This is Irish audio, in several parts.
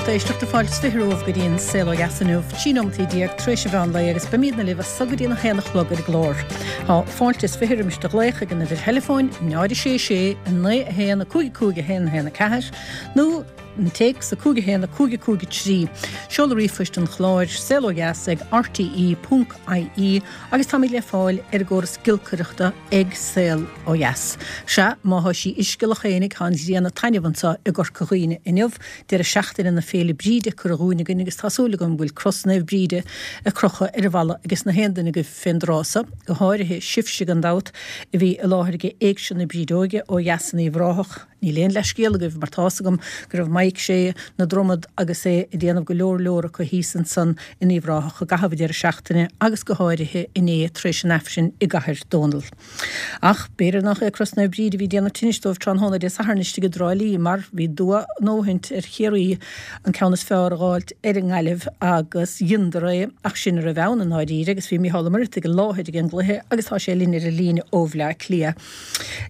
lucht éisteachta, fáilte is 20 romhaibh go dtí an Saol Ó Dheas inniu, 13 nóimeataí tar éis an mheán lae agus beimídne libh as so go dtí an 1 a chlog ar an gclár. Tá fáilte is 20 roimis do ghlaoch ag an uimhir theileafóin 0 6 6 9 1 5 5 1 1 4 nó an téacs 5 1 5 5 3. Seoladh ríomhphoist an chláir, saolodheas ag rte ponc ie agus táimid le fáil ar an gcóras giolcaireachta ag Saol Ó Dheas. Sea, má thá sí uisce Loch Éanaigh tá an ghrian ag taitneamh anseo i gCorca Dhuibhne inniu, deireadh seachtaine na Féile Bríde curtha dhúinn againn agus tá súil agam go bhfuil cros Naomh Bríde ag crochadh ar an bhfalla ages na haon duine agaibh fén dtráth so, go háirithe sibhse gan dabht a bhí i láthair ag Éigse na Brídeoige ó dheas in Uíbh Ráthach. Níl aon leathscéal agaibh mar tá's agam go raibh Mike Sé na Dromad agus é ag déanamh go leor leor acu thíos ansan in Uíbh Ráthach i gcaitheamh an deireadh seachtaine agus go háirithe inné tar éis an Aifrinn i gCathair Dónall. Ach b'fhéidir nach é Cros Naomh Bríd a bhí ag déanamh tinnis dóibh tráthnóna Dé Sathairn istigh i dTrá Lí mar bhí dua a ndóthaint ar Chiarraí an ceann is fearr a dh'fháilt ar an nGaillimh agus dheineadar é ach sin a raibh ann i ndáiríre agus bhí Mícheál Ó Muircheartaigh i láthair ag an gcluiche agus tá sé linn ar an líne ó Bhleá Cliath.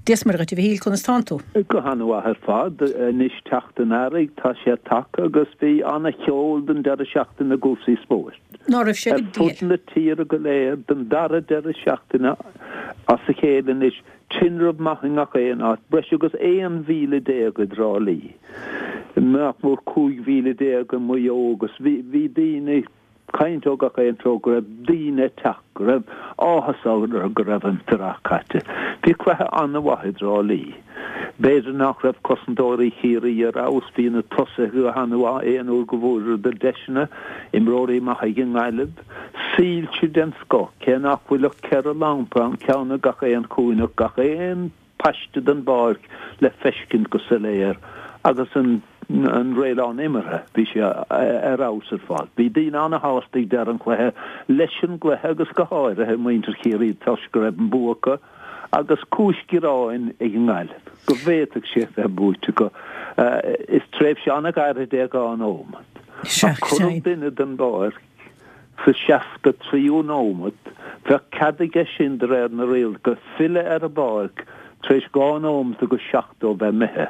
Dia is Muire dhuit, a Mhichíl, conas tánn tú? Go han-mhaith ar fad. Anois teacht an earraigh, tá sé tagtha agus bhí an-cheol don deireadh seachtaine i gcúrsaí spóirt. Ná raibh sé go diail. Ar fud na tíre go léir don dara deireadh seachtaine as a chéile anois, tinreamh maith i ngach aon áit, breis agus 11,000 i dTrá Lí, nach mór 15,000 i Maigh Eo agus bhí daoine, caint ó gach aon treo go raibh daoine ag teacht, go raibh áthas orthu go raibh an t-earrach caite. Bhí cluiche an-mhaith i dTrá Lí. B'fhéidir nach raibh cosantóirí Chiarraí ar fheabhas, bhí na tosaithe go han-mhaith aon uair go bhfuaireadar deiseanna, imreoirí maithe ag an nGaillimh, soilse den scoth, cé nach bhfuil ach 4 lampa ann, ceann i gach aon chúinne, gach aon paiste den bpáirc le feiscint go soiléir agus an an réileán imeartha, bhí sé ar fheabhas ar fad. Bhí daoine ana-shásta ag deireadh an chluiche leis an gcluiche agus go háirithe muintir Chiarraí toisc go raibh an bua acu agus cúis gearáin ag an nGaillimh go bhféadfadh sé a bheith buaite acu. Is tréimhse an-ghairid é 2 nóimeat ach cuireadh duine den bpáirc Sa 63ú nóimeat, bheadh cead aige sin de réir na rialacha filleadh ar an bpáirc tar éis 2 nóimeat agus 70 bheith imithe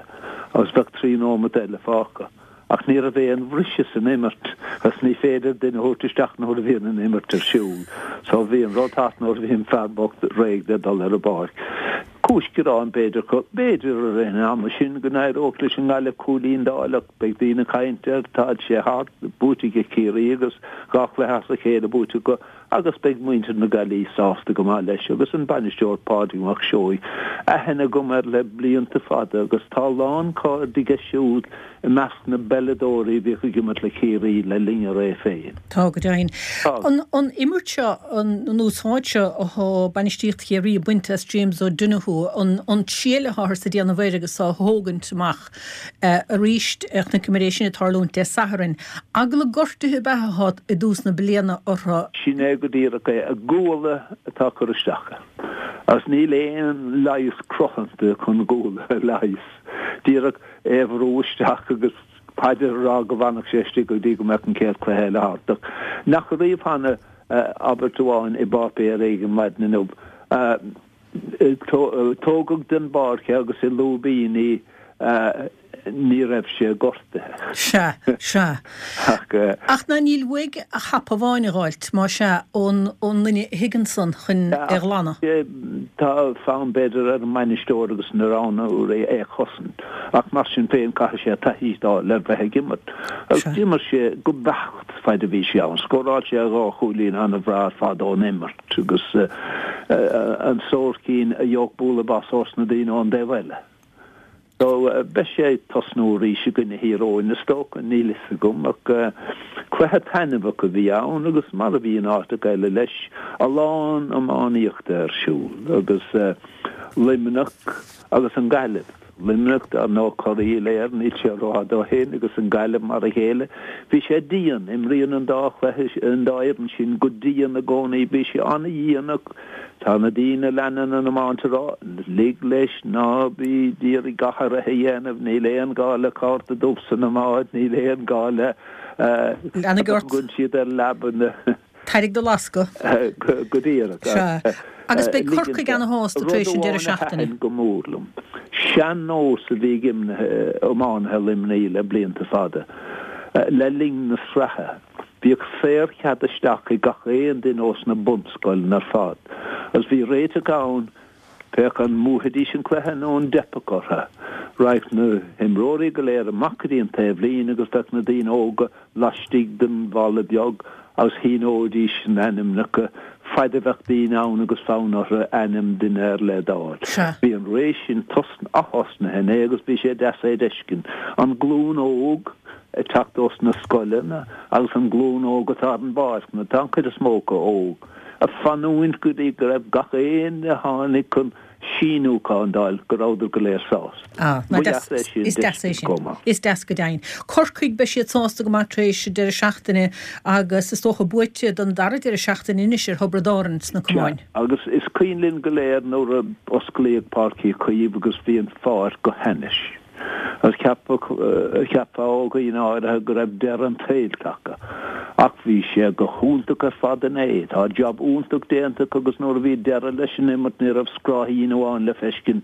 agus bheadh 3 nóimeat eile fágtha. Ach ní raibh aon bhriseadh san imirt agus ní féidir duine a thabhairt isteach nuair a bhíonn an imirt ar siúl. So bhí an rud thart nuair a bhí an fear bocht réidh le dul ar an bpáirc. Cúis gearáin b'fhéidir acu. B'fhéidir i rith an ama sin go n-éireodh leis an nGaillimh cúilín d'fháil ach beidh daoine ag caint air, tá sé thart, buaite ag Ciarraí agus 2 chluiche as a chéile buaite acu agus beidh muintir na Gaillimhe sásta go maith leis agus an bainisteoir Pádraig Mac Seoighe, aithne agam air le blianta fada agus tá a lán cairde aige siúd i measc na bpeileadóirí a bhíodh ag imirt le Ciarraí le linn a ré féin. Tá, go deimhin. An imirt seo, an úsáid seo athá bainistíocht Chiarraí ag baint as James O'Donoghue, an triail atháthar ag déanamh air agus á thógaint amach arís, chonaiceamar é sin ag tarlúint Dé Sathairn. Eagla gortuithe ab ea athá i dtús na bliana orthu? Sin é go díreach é. A guala atá ag cur isteach air. Agus níl aon leigheas cruthanta chun guala a leigheas. Díreach é a bhrú isteach agus paidir a rá go bhfanfadh sé istigh go dtí go mbeadh an chéad chluiche eile thart. Ach nach riamh cheana abairt amháin i bpáipéar éigin maidin inniu, tógadh den bpáirc é agus i lúibíní ní raibh sé gortaithe. Sea, sea. Ach. Ach ná níl uaidh ach hapa amháin a dh'fháilt, má sea, ón, ón nduine a thig ansan chun é a ghlanadh. Tá fonn, b'fhéidir, ar an mbainisteoir agus na roghnóirí é a chosaint, ach mar sin féin caithfidh sé taithí a fháil ar bheith ag imirt. Agus d'imir sé go beacht faid a bhí sé ann. Scóráil sé dhá chúilín an-bhreá ar fad ón imirt agus an sórt cinn a gheobhadh bualadh bas ós na daoine ón dtaobh eile. So, beidh sé ag tosnú arís i gcoinne Thír Eoghain, is dócha, níl fhios agam, ach cluiche taitneamhach a bhí ann agus mar a bhí in áiteacha eile leis, a lán iománaíochta ar siúl agus Luimneach agus an Ghaillimh. Luimneach, dar ndóigh, curaidh Uile-Éireann, níl sé rófhada ó shin, agus an Ghaillimh mar a chéile. Bhí sé dian, imríonn an dá chluiche, an dá fhoireann sin go dian i gcónaí, bhí sé an-dhian ach Tá na daoine a leanann an iomáint ag rá, lig leis, ná bí d'iarraidh gach athraithe a dhéanamh, níl aon gá le cárta dubh san iomáint, níl aon gá le Leanaigh ort. Tugann siad ar leaba na. Tairg do lascadh. Go díreach. Sea. Agus beidh Corcaigh ana-shásta tar éis an Rud deireadh amháin a seachtaine. thaitin go mór liom, sean-nós a bhí ag iománaithe Luimnigh le blianta fada. Le linn na sraithe, bhíodh saorchead isteach ag gach aon duine ós na bunscoileanna ar fad, agus bhí réiteach ann féach an mbuafaidís an cluiche nó an dteipfeadh orthu. Raghadh na himreoirí go léir amach go dtí an taobhlíne agus bheadh na daoine óga laistigh den bhalla beag agus shíneoidís a n-ainmneacha faid a bheadh daoine ann agus fonn orthu ainm duine ar leith d'fháil. Sea. Bhí an ré sin ath-thosnaithe inné agus bhí sé deas é d'fheiscint. An glúin óg ag teacht ós na scoileanna agus an glúin óg atá ar an bpáirc, nó tá an chuid is mó acu óg, ag fanúint go dtí go raibh gach éinne a tháinig chun síniúchán d'fháil, go rabhadar go léir sásta. Ah, Ba dheas é sin is deas é d'fheiscint sin. chomh maith. Is deas go deimhin. Corcaigh, beidh siad sásta go maith tar éis an deireadh seachtaine agus is dócha buaite don dara deireadh seachtaine anois ar Thiobraid Árann sna Sea, camáin. agus is cuimhin linn go léir nuair a osclaíodh Páirc Uí Chaoimh agus bhí an pháirc go hainnis. Agus cheapfadh, cheapfá ó dhaoine áirithe go raibh deireadh an tsaoil tagtha. Ach bhí sé go hiontach ar fad inné. Tá jab iontach déanta acu agus nuair a bhí deireadh leis an imirt ní raibh scráithín amháin le feiscint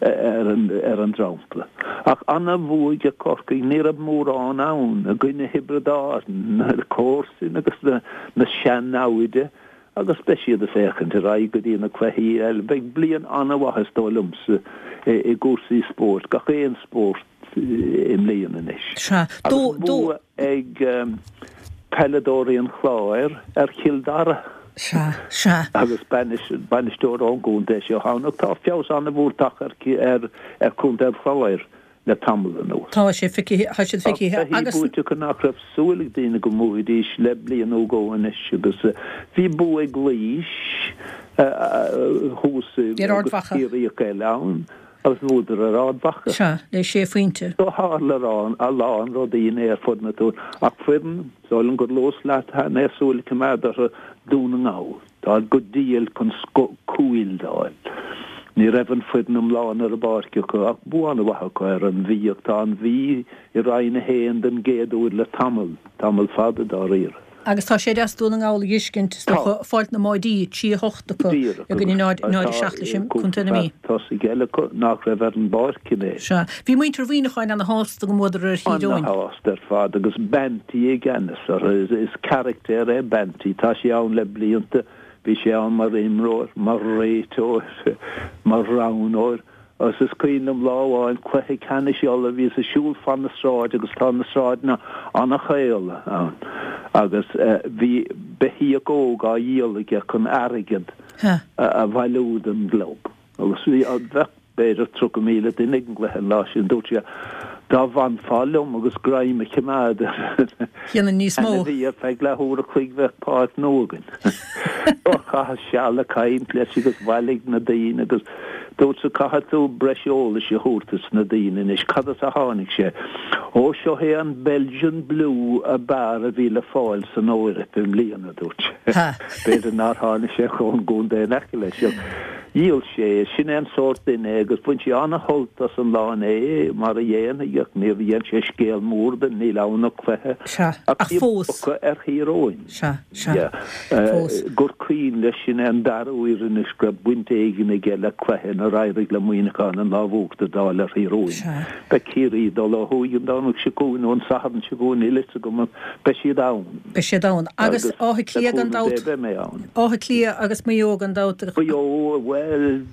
ar an, ar an dromchla. Ach ana-bhua ag Corcaigh, ní raibh mórán ann i gcoinne Thiobraid Árann, na comharsain agus na, na sean-namhaid. Agus beidh siad ag féachaint ar aghaidh go dtí na cluichí eile. Beidh bliain an-mhaith is dóigh liomsa i gcúrsaí spóirt, gach aon spórt i mbliana anois. Sea. Agus bua ag peileadóirí an Chláir ar Chill Dara. Sea, sea. Agus bainisteoir ón gcontae seo ann. Tá feabhas an-mhór tagtha ar chontae an Chláir. le tamall anuas. Tá sé feicthe, tá siad Tá feicthe cluichí agus. buaite acu nach raibh súil ag daoine go mbuafaidís le bliain nó dhó anois agus bhí bua ag Laois thuas Ar Ard agus Mhacha. Ciarraíoch eile ann agus bhuadar ar Ard Mhacha. Sea, le sé phointe. So tharla a lán rudaí inné ar fud na tíre ach foireann, is dóigh liom gur luas leat cheana é, súil a choimeád orthu, Dún na nGall. Táid go diail chun cúil d'fháil. Ní raibh an foireann iomlán ar an bpáirc acu ach bua an-mhaith acu ar an Mhí ach tá an Mhí i Roinn 1 den gcéad uair le tamall, tamall fada dáiríre. Agus tá sé deas Dún na nGall a dh'fheiscint, is dócha, Tá. fáilt na mbáidí, 3 8 acu Díreach i gcoinne agus 0, 0 tá 7 leis an cúpla Contae na fear Mí. tosaigh eile acu nach raibh ar an bpáirc inné. Sea. Bhí muintir Mhuineacháin ana-shásta go mbuadar ar Thír Eoghain. Ana-shásta ar fad agus Banty i gceannas orthu. Is carachtar é Banty. Tá sé ann le blianta. Bhí sé ann mar imreoir, mar réiteoir, mar roghnóir agus is cuimhin liom lá amháin cluiche ceannais Uladh, bhíos ag siúl fan na sráide agus tá na sráideanna an-chaol ann agus bhí beithíoch óg á dhíol aige chun airgead a bhailiú don gclub agus bhí, bheadh b'fhéidir 30,000 duine ag an gcluiche an lá sin. Dúirt sé, Dá bhfanfá liom agus greim a choimeád ar an Dhéanfainn níos mó. ainmhí ar feadh leathuair a chloig bheadh páirc nua againn. Chaitheas seal ag caint leis agus bhailigh na daoine agus dúirt sé, Caithfidh tú breis eolais a thabhairt dos na daoine anois. Cad as a tháinig sé? Ó, seo é an Belgian Blue ab fhearr a bhí le fáil san Eoraip i mbliana, a dúirt sé. B'fhéidir nár tháinig sé ón gcontae in aice leis. Dhíol sé é. Sin é an sórt duine é agus bhain sé ana-shult as an lá inné, mar a dhéanfaidh, ach níor dhein sé scéal mór de, níl ann ach cluiche. Sea, Ach ach bhí fós. bua ar Thír Eoghain. Sea, sea. Fós. Gur cuimhin leis, sin é an dara huair anois go raibh baint éigin aige le cluiche inar éirigh le Muineachán an lámh uachtair d'fháil ar Thír Eoghain. Sea. Beidh Ciarraí ag dul ó thuaidh an Domhnach seo chugainn nó an Satharn seo chugainn, níl fhios agam, ach beidh siad ann. Beidh siad ann. Agus Agus Áth le Cliath gan cúnamh Dé dabht. beidh mé ann. Áth Cliath agus Maigh Eo gan dabht. Maigh Eo, bhuel,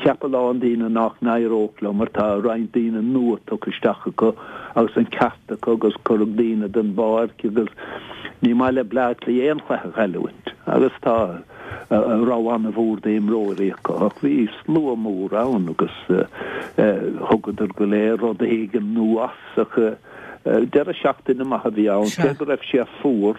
cheap a lán daoine nach n-éireodh leo mar tá roinnt daoine nua tugtha isteach acu agus an ceart acu agus cuireadh daoine den bpáirc agus ní maith le Bleá Cliath aon chluiche a chailliúint agus tá rogha an-mhór d'imreoirí acu ach bhí slua mór ann agus thugadar go léir rud éigin nua as ach deireadh seachtaine maith a bhí ann cé go raibh sé fuar.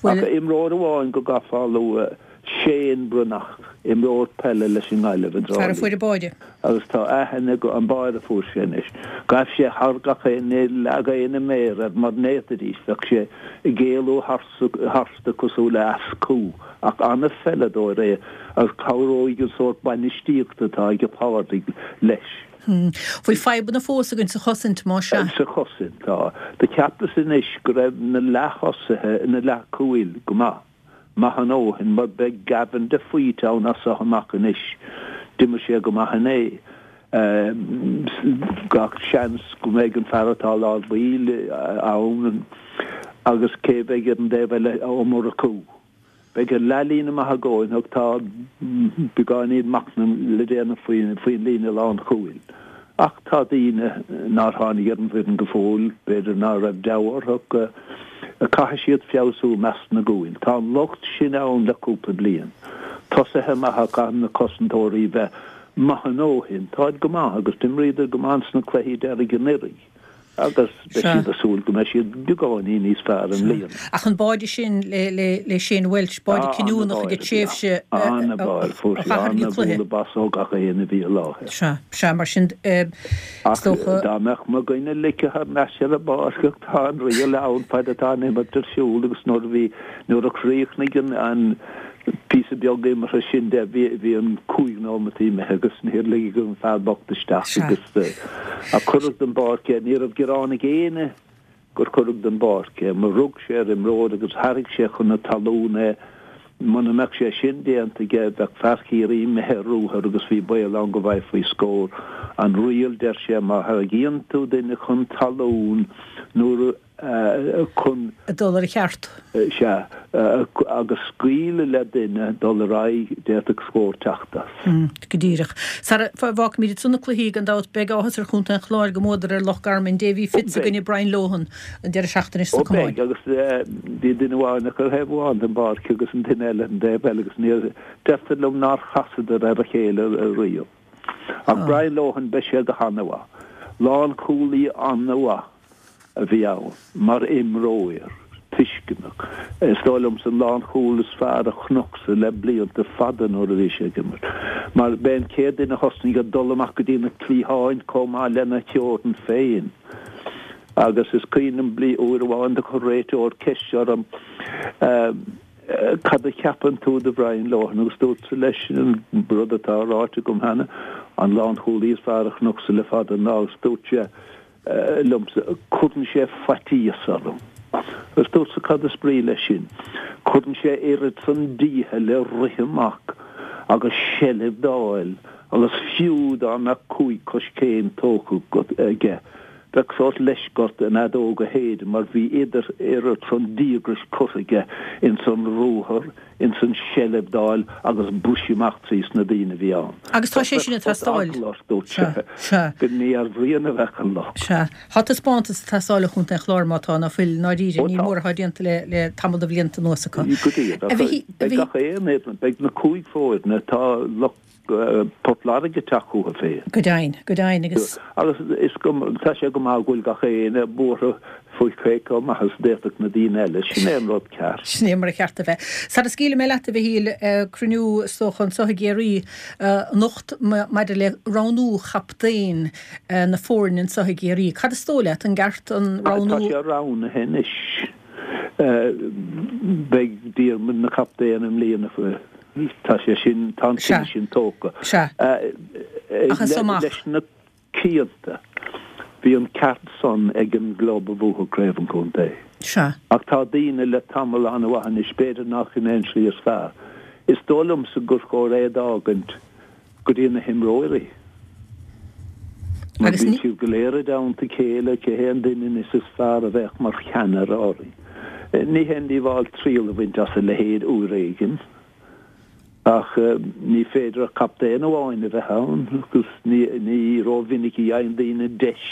Ach imreoir amháin go gcaithfeá a lua, Shane Breathnach, imreoir peile leis an nGaillimh i dTrá Fear a Lí. fuair an báire. Agus tá aithne aige, an báire a fuair sé anois. Ghaibh sé thar gach éinne, leag éinne méar air mar n'fhéadfaidís, bheadh sé ag éalú tharstu cosúil le eas cú. Ach an-pheileadóir é agus cabhróidh an sórt bainistíochta atá aige Pádraig leis. Bhfuil fadhbanna fós againn sa chosaint, más ea? Sa chosaint, tá. Do cheapas anois go raibh na leath-thosaithe, na leath-chúil, go maith. Maith a ndóthain, mar beidh Gavin de Faoite ann as seo amach anois. D'imir sé go maith inné. Gach seans go mbeidh an fear atá i lár baill ann agus cé a bheidh ar an dtaobh eile, Ó Murchú. Beidh an leathlíne maith againn ach tá beagáinín machnaimh le déanamh faoin líne lánchúil. Ach tá daoine nár tháinig ar an bhfoireann go fóill, b'fhéidir ná raibh deabhadh orthu ach caithfidh siad feabhsú i measc na gcúil. Tá an locht sin ann le cúpla bliain. Tosaithe maithe ach caithfidh na cosantóirí bheith maith a ndóthain. Táid go maith agus d'imríodar go maith ins na cluichí deiridh anuraidh. agus beidh siad ag súil go mbeidh siad beagáinín níos fearr i mbliana. Ach an báide sin le Shane Walsh, báide cinniúnach ag an tréimhse a Fuair sé an-bhualadh bos ó gach éinne a bhí i láthair. Sea, sea, mar sin is dócha. Ach dá mbeadh mo dhuine ligthe thar n-ais ar an bpáirc, tá an riail ann fad atá an imirt ar siúl agus nuair a bhí, nuair a chríochnaigh an píosa beag imeartha sin de, bhí an 5 nóimeat imithe agus níor ligeadh an fear bocht isteach agus a cuireadh den bpáirc é. Ní raibh gearán ag éinne gur cuireadh den bpáirc é, mar rug sé ar imreoir agus tharraing sé chun na talún é. Muna mbeadh sé sin déanta aige, bheadh fear Chiarraí imithe ar ruathar agus bhí baol ann go bhfaighfí scór. An riail, deir sé, má tharraingíonn tú duine chun talún nuair a. chun. dul ar a cheart. Sea, agus scaoileadh le duine dul ar aghaidh, d'fhéadfadh scór teacht as. Go díreach. Sara bhfágfaimid ansan na cluichí, gan dabht, beidh áthas ar chontae an Chláir go mbuadar ar Loch Garman, Davy Fitz i gcoinne Brian Lohan an deireadh seachtaine seo Ó beidh, agus bhí duine amháin acu ar thaobh amháin den bpáirc agus an duine eile ar an dtaobh eile agus níor, deirtear liom nár chasadar ar a chéile riamh. Ach Brian Lohan, beidh sé go han-mhaith. Lánchúlaí an-mhaith. a bhí ann mar imreoir tuisceanach. Is dóigh liomsa an lánchúl is fearr a chonacsa le blianta fada nuair a bhí sé ag imirt. Mar b'é an chéad duine a thosnaigh ag dul amach go dtí na cliatháin chomh maith lena theorainn féin. Agus is cuimhin liom bli uair amháin do chuir réiteoir ceist orm Cad a cheapann tú de Bhrian Lohan? Agus dúrtsa leis an rud atá ráite agam cheana, an lánchúlaí is fearr a chonacsa le fada an lá agus dúirt sé liomsa, cuireann sé faitíos orm. Agus dúrtsa, cad is brí leis sin? Cuireann sé oiread san dícheall le rith amach agus seilbh d'fháil agus fiú dá mbeadh chúig choiscéim tógtha aige, bheadh sórt leisce ort an fheadóg a shéideadh mar bhí idir oiread san díograis curtha aige ins an ruathar ins an seilbh d'fháil agus briseadh amach trí sna daoine a bhí ann. Agus tá sé sin ag teastáil. Eagla ort, dúirt sé, go ní ar Bhrian a bheadh an locht. Sea. Tá taispeántas ag teastáil ó Chontae an Chláir má tá, ná fuil, i ndáiríre. Ní mór atá déanta le tamall de bhlianta anuas acu. Go díreach. Beidh gach aon fhoireann, beidh na cúig foirne, tá lucht Port Láirge ag teacht chucu féin. Go deimhin, go deimhin agus. Agus is go, tá sé go maith go bhfuil gach éinne buartha faoi cé chomh maith is a d'fhéadfadh na daoine eile. Sin é an rud ceart. Sin é mar a cheart a bheith. Sara scaoilfidh mé leat, a Mhichíl, cruinniú is dócha anseo i gCiarraí anocht maidir le roghnú chaptaen na foirne anseo i gCiarraí. Cad is dóigh leat, an gceart an roghnú? Tá sé roghnaithe anois. Beidh Diarmuid ina chaptaen i mbliana. Tá sé sin, tá an cinneadh sin tógtha. Sea. Ach as so amach. Leis na cianta, bhí an ceart san ag an gclub a bhuafadh Craobh an Chontae. Sea. Ach tá daoine le tamall an-mhaith anois, b'fhéidir nach in é an slí is fearr. Is dóigh liomsa gur chóir é d'fhágaint go dtí na himreoirí. Mar bíonn siad go léir i dteannta a chéile, cé hé an duine anois is fearr a bheadh mar cheannaire orainn? Ní haon díobháil triail a bhaint as a leithéid uair éigin, ach ní féidir ach captaen amháin a bheith ann agus ní rómhinic a fhaigheann daoine deis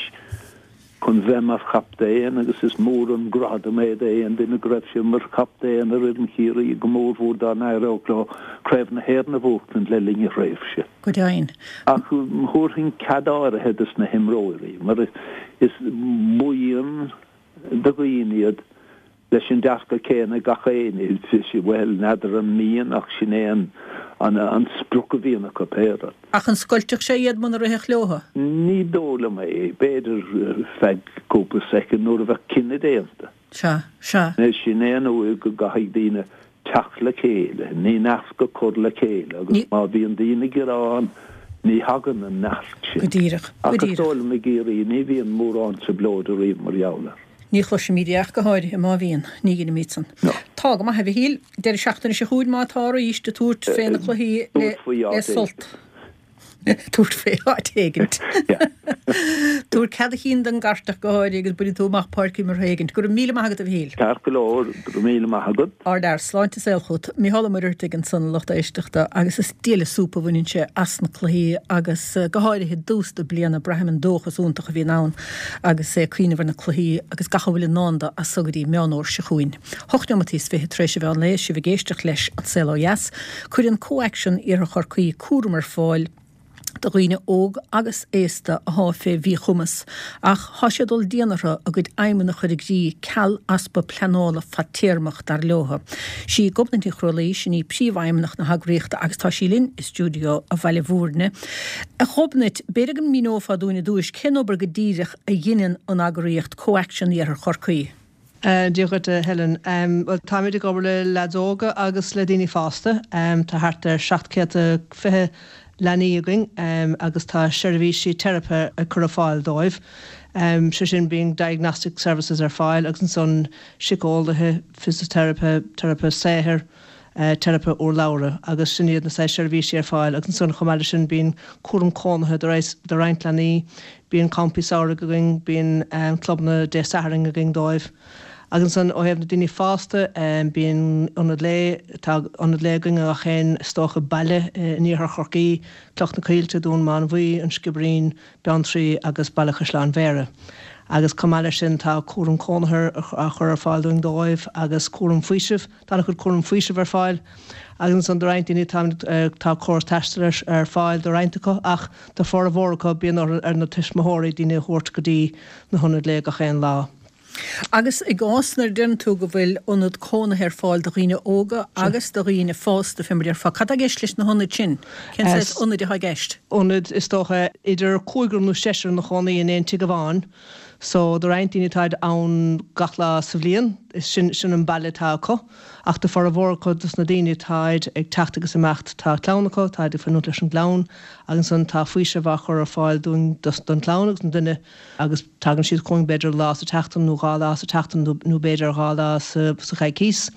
chun bheith mar chaptaen agus is mór an gradam é d'aon duine go raibh sé mar chaptaen ar fhoireann Chiarraí, go mórmhór dá n-éireodh leo Craobh na hÉireann a bhuachtaint le linn a thréimhse. Go deimhin. Ach thabharfainn cead áirithe dos na himreoirí mar is buíon de dhaoine iad leis an dearcadh céanna ag gach éinne, bhuel, n'fheadar an mian ach sin é an sprioc a bhíonn acu pé rud. Ach an scoiltfeadh sé iad muna rithfeadh leotha? Ní dóigh liom é. B'fhéidir feadh cúpla soicind nuair a bheadh cinneadh déanta. Sea, sea. Sin é an uair go gcaithfidh daoine teacht le chéile, ní neart a chur le chéile agus má bhíonn daoine ag gearán ní thagann an neart sin. Go díreach, go díreach. Ach is dóigh liom i gCiarraí ní bhíonn mórán trioblóide riamh mar gheall air. Ní chloisimid é ach go háirithe má bhíonn. Ní dheinimid san. No. Tá go maith, a Mhichíl. Deireadh seachtaine seo chugainn má tá arís ag tabhairt fé na cluichí le sult. Tabhairt fé áit éigint. Tabhair cead a chinn don gCartach go háirithe agus bainfidh tú amach Páirc Imeartha éigint. Go raibh míle maith agat a Mhichíl. Ceart go leor, go raibh míle maith agat. Ardfhear, sláinte is saol chugat. Mícheál Ó Muircheartaigh ansan a lucht éisteachta agus is diail an súp a bhaineann sé as na cluichí agus go háirithe i dtús na bliana braithim an dóchas iontach a bhíonn ann agus é ag cuimhneamh ar na cluichí agus gach a bhfuil i ndán dó as so go dtí Meán Fhómhair seo chugainn. Hocht neomataí is 20 tar éis an mheán lae is sibh ag éisteacht leis An Saol Ó Dheas. Cuireann ComhAction Iarthar Chorcaí cúram ar fáil do dhaoine óg agus aosta athá fé mhíchumas ach thá sé ag dul dian orthu a gcuid aidhmeanna a chur i gcrích ceal easpa pleanála fadtéarmach dar leotha. Sí Gobnait Ní Chrualaoi, sin í príomhfheidhmeannach na heagraíochta agus tá sí linn i stiúideo Bhaile Bhúirne. A Ghobnait, b'fhéidir go míneofá dúinn i dtúis cén obair go díreach a dheineann an eagraíocht ComhAction Iarthar Chorcaí? Dia dhuit a Helen. Bhuel táimid ag obair le leaids óga agus le daoine fásta. Tá thart ar 720 leanaí againn agus tá seirbhísí teiripe ag cur ar fáil dóibh. Sé sin bíonn diagnostic services ar fáil agus ansan síceolaithe, fisiteiripe, teiripe saothair, teiripe urlabhra agus sin iad na saghas seirbhísí ar fáil agus ansan chomh maith leis sin bíonn cúram cónaithe do roinnt leanaí, bíonn campaí samhraidh againn, bíonn clubanna Dé Sathairn againn dóibh. Agus ansan ó thaobh na daoine fásta bíonn ionad lae, tá ionad lae againn i ngach aon is dócha baile in iarthar Chorcaí, Cloich na Coillte, Dún Mánmhaí, An Sciobairín, Beanntraí agus Baile Chaisleáin Bhéarra. Agus chomh maith leis sin tá cúram cónaithe á chur ar fáil dúinn dóibh agus cúram faoisimh. Tá an-chuid cúram faoisimh ar fáil agus ansan do roinnt daoine tá tá córas taistil ar fáil do roinnt acu ach do formhór acu bíonn orthu ar na tuismitheoirí daoine a thabhairt go dtí na hionaid lae gach aon lá. Agus i gcás nuair a deireann tú go bhfuil ionad cónaithe ar fáil do dhaoine óga agus do dhaoine fásta, fé mar a déarfá, cad tá i gceist leis na hionaid sin? Cén saghas ionaid atá i gceist? Ionaid, is dócha, idir cúigear nó seisear ina chónaí in aon tigh amháin. So, do roinnt daoine táid ann gach lá sa bhliain, is sin, sin an baile atá acu. Ach do formhór acu dos na daoine táid ag teacht agus imeacht, tá clann acu, táid ag fanúint leis an gclann agus ansan tá faoiseamh á chur ar fáil dúinn dos, don chlann agus don duine agus tagann siad chugainn b'fhéidir lá sa tseachtain nó dhá lá sa tseachtain nó, nó b'fhéidir dhá lá sa, sa choicís.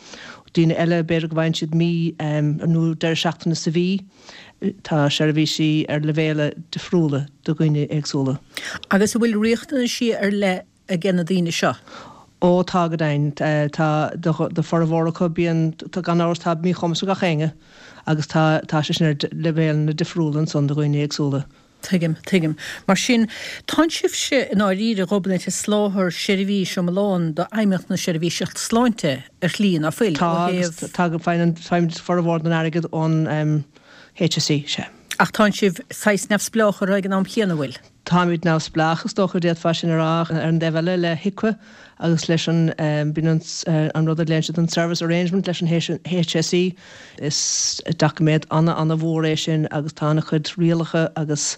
Daoine eile b'fhéidir go bhfaigheann siad mí nó deireadh seachtaine sa mhí. Tá seirbhísí ar leibhéala difriúla do dhaoine éagsúla. Agus an bhfuil riachtanaisí ar leith aige na daoine seo? Ó tá go deimhin. Tá, do formhór acu bíonn, gan amhras tá míchumas ag gach éinne agus tá, tá sé sin ar leibhéalanna difriúla ansan do dhaoine éagsúla. Tuigim, tuigim. Mar sin, tánn sibhse i ndáiríre, a Ghobnait, ag soláthar seirbhís iomlán d'Fheidhmeannacht na Seirbhíse Sláinte ar shlí, ná fuil, ó Tá, agus thaobh. tá, faigheann, faighimid formhór den airgead ón HSE, sea. Ach tánn sibh saghas neamhspleách orthu ag an am chéanna, an bhfuil? Táimid neamhspleách, is dócha, d'fhéadfá sin a rá, ach ar an dtaobh eile, le HIQA agus leis an, bíonn an rud a ghlaonn siad an service arrangement leis an HSE, Is doiciméad ana-ana-mhór é sin agus tá ana-chuid rialacha agus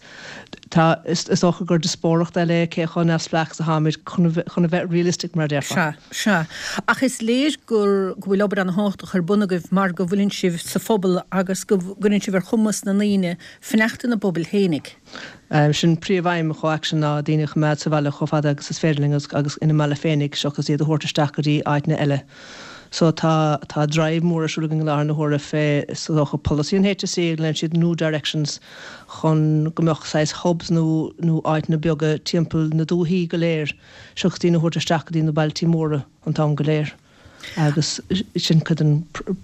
tá, is dócha gur diospóireacht eile é cé chomh neamhspleách is atáimid chun a bheith realistic mar a déarfá. Sea, sea. Ach is léir gur, go bhfuil obair ana-thábhachtach ar bun agaibh mar go bhfuileann sibh sa phobal agus go gcuireann sibh ar chumas na ndaoine fanacht ina bpobail fhéinig. Sin príomh-aidhm ComhAction ná daoine a choimeád sa bhaile chomh fada agus is féidir linn agus ina mbaile féinig seachas iad a thabhairt isteach go dtí áiteanna eile. So tá, tá drive mór ar siúl againn i láthair na huaire fé, is dócha, polasaí an HSE a ghlaonn siad New Directions chun go mbeadh saghas hubs nó, nó áiteanna beaga timpeall na dúthaí go léir seachas daoine a thabhairt isteach go dtí na bailtí móra an t-am go léir. Agus sin cuid den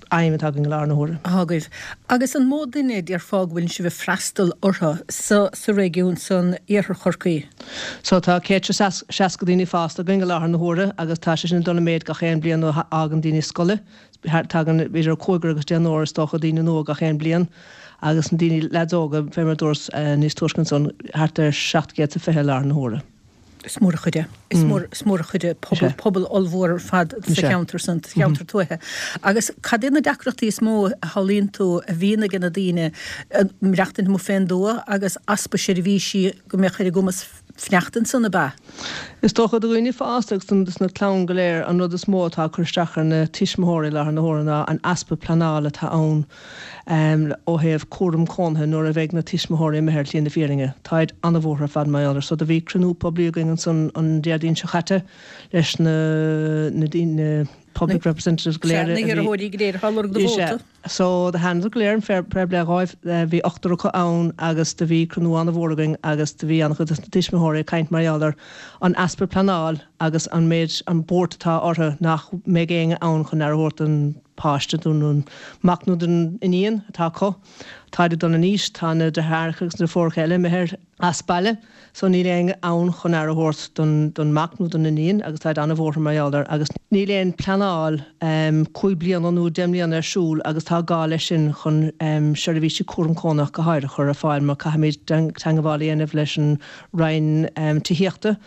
aidhm atá againn i láthair na huaire. Atá agaibh. Agus an mó duine, déarfá, go bhfuileann sibh ag freastal orthu sa, sa réigiún san iarthar Chorcaí? So tá 160 daoine fásta againn i láthair na huaire agus tá sé sin ag dul i méid gach aon bliain nuair a fhágann daoine scoile. Tagann idir cúigear agus deichniúr is dócha daoine nua gach aon bliain agus na daoine leaids óga, fé mar a dúras níos túisce ansan, thart ar 720 i láthair na huaire. Is mór an chuid é. Is mór, is mór an chuid é. Pobal, pobal ollmhór ar fad sa cheantar san, sa cheantar tuaithe. Agus cad iad na deacrachtaí is mó a shamhlaíonn tú a bhíonn aige na daoine, maireachtaint amuigh fén dtuath agus easpa seirbhísí go mbeadh ar a gcumas fanacht ansan, ab ea? Is dócha do dhaoine fásta agus dos na clann go léir an rud is mó atá ag cur isteach ar na tuismitheoirí i láthair na huaire ná an easpa pleanála atá ann ó thaobh cúram cónaithe nuair a bheidh na tuismitheoirí imithe ar shlí na fírinne. Táid an-bhuartha ar fad mar gheall air. So do bhí cruinniú poiblí againn ansan an Déardaoin seo chaite leis na na daoine. public representatives go léir a bhí. Sea, na hiarrthóirí go léir atá ag lorg do vóta. So do thánadar go léir, an fair play dhóibh, bhí ochtar acu ann agus do bhí cruinniú an-mhór againn agus do bhí an-chuid dos na tuismitheoirí ag caint mar gheall ar an easpa pleanáil agus an méid, an buairt atá orthu nach mbeidh éinne ann chun aire a thabhairt don páiste, don mac nó don iníon atá acu. Táid ag dul in aois, tá na deartháireacha agus na deirfiúracha eile imithe as baile so níl éinne ann chun aire a thabhairt don don mac nó don iníon agus táid an-bhuartha mar gheall air agus níl aon pleanáil 5 bliana nó 10 mbliana ar siúl agus tá gá leis sin chun seirbhísí cúram cónaitheach go háirithe a chur ar fáil mar caithfimid teangabháil a dhéanamh leis an Roinn Tithíochta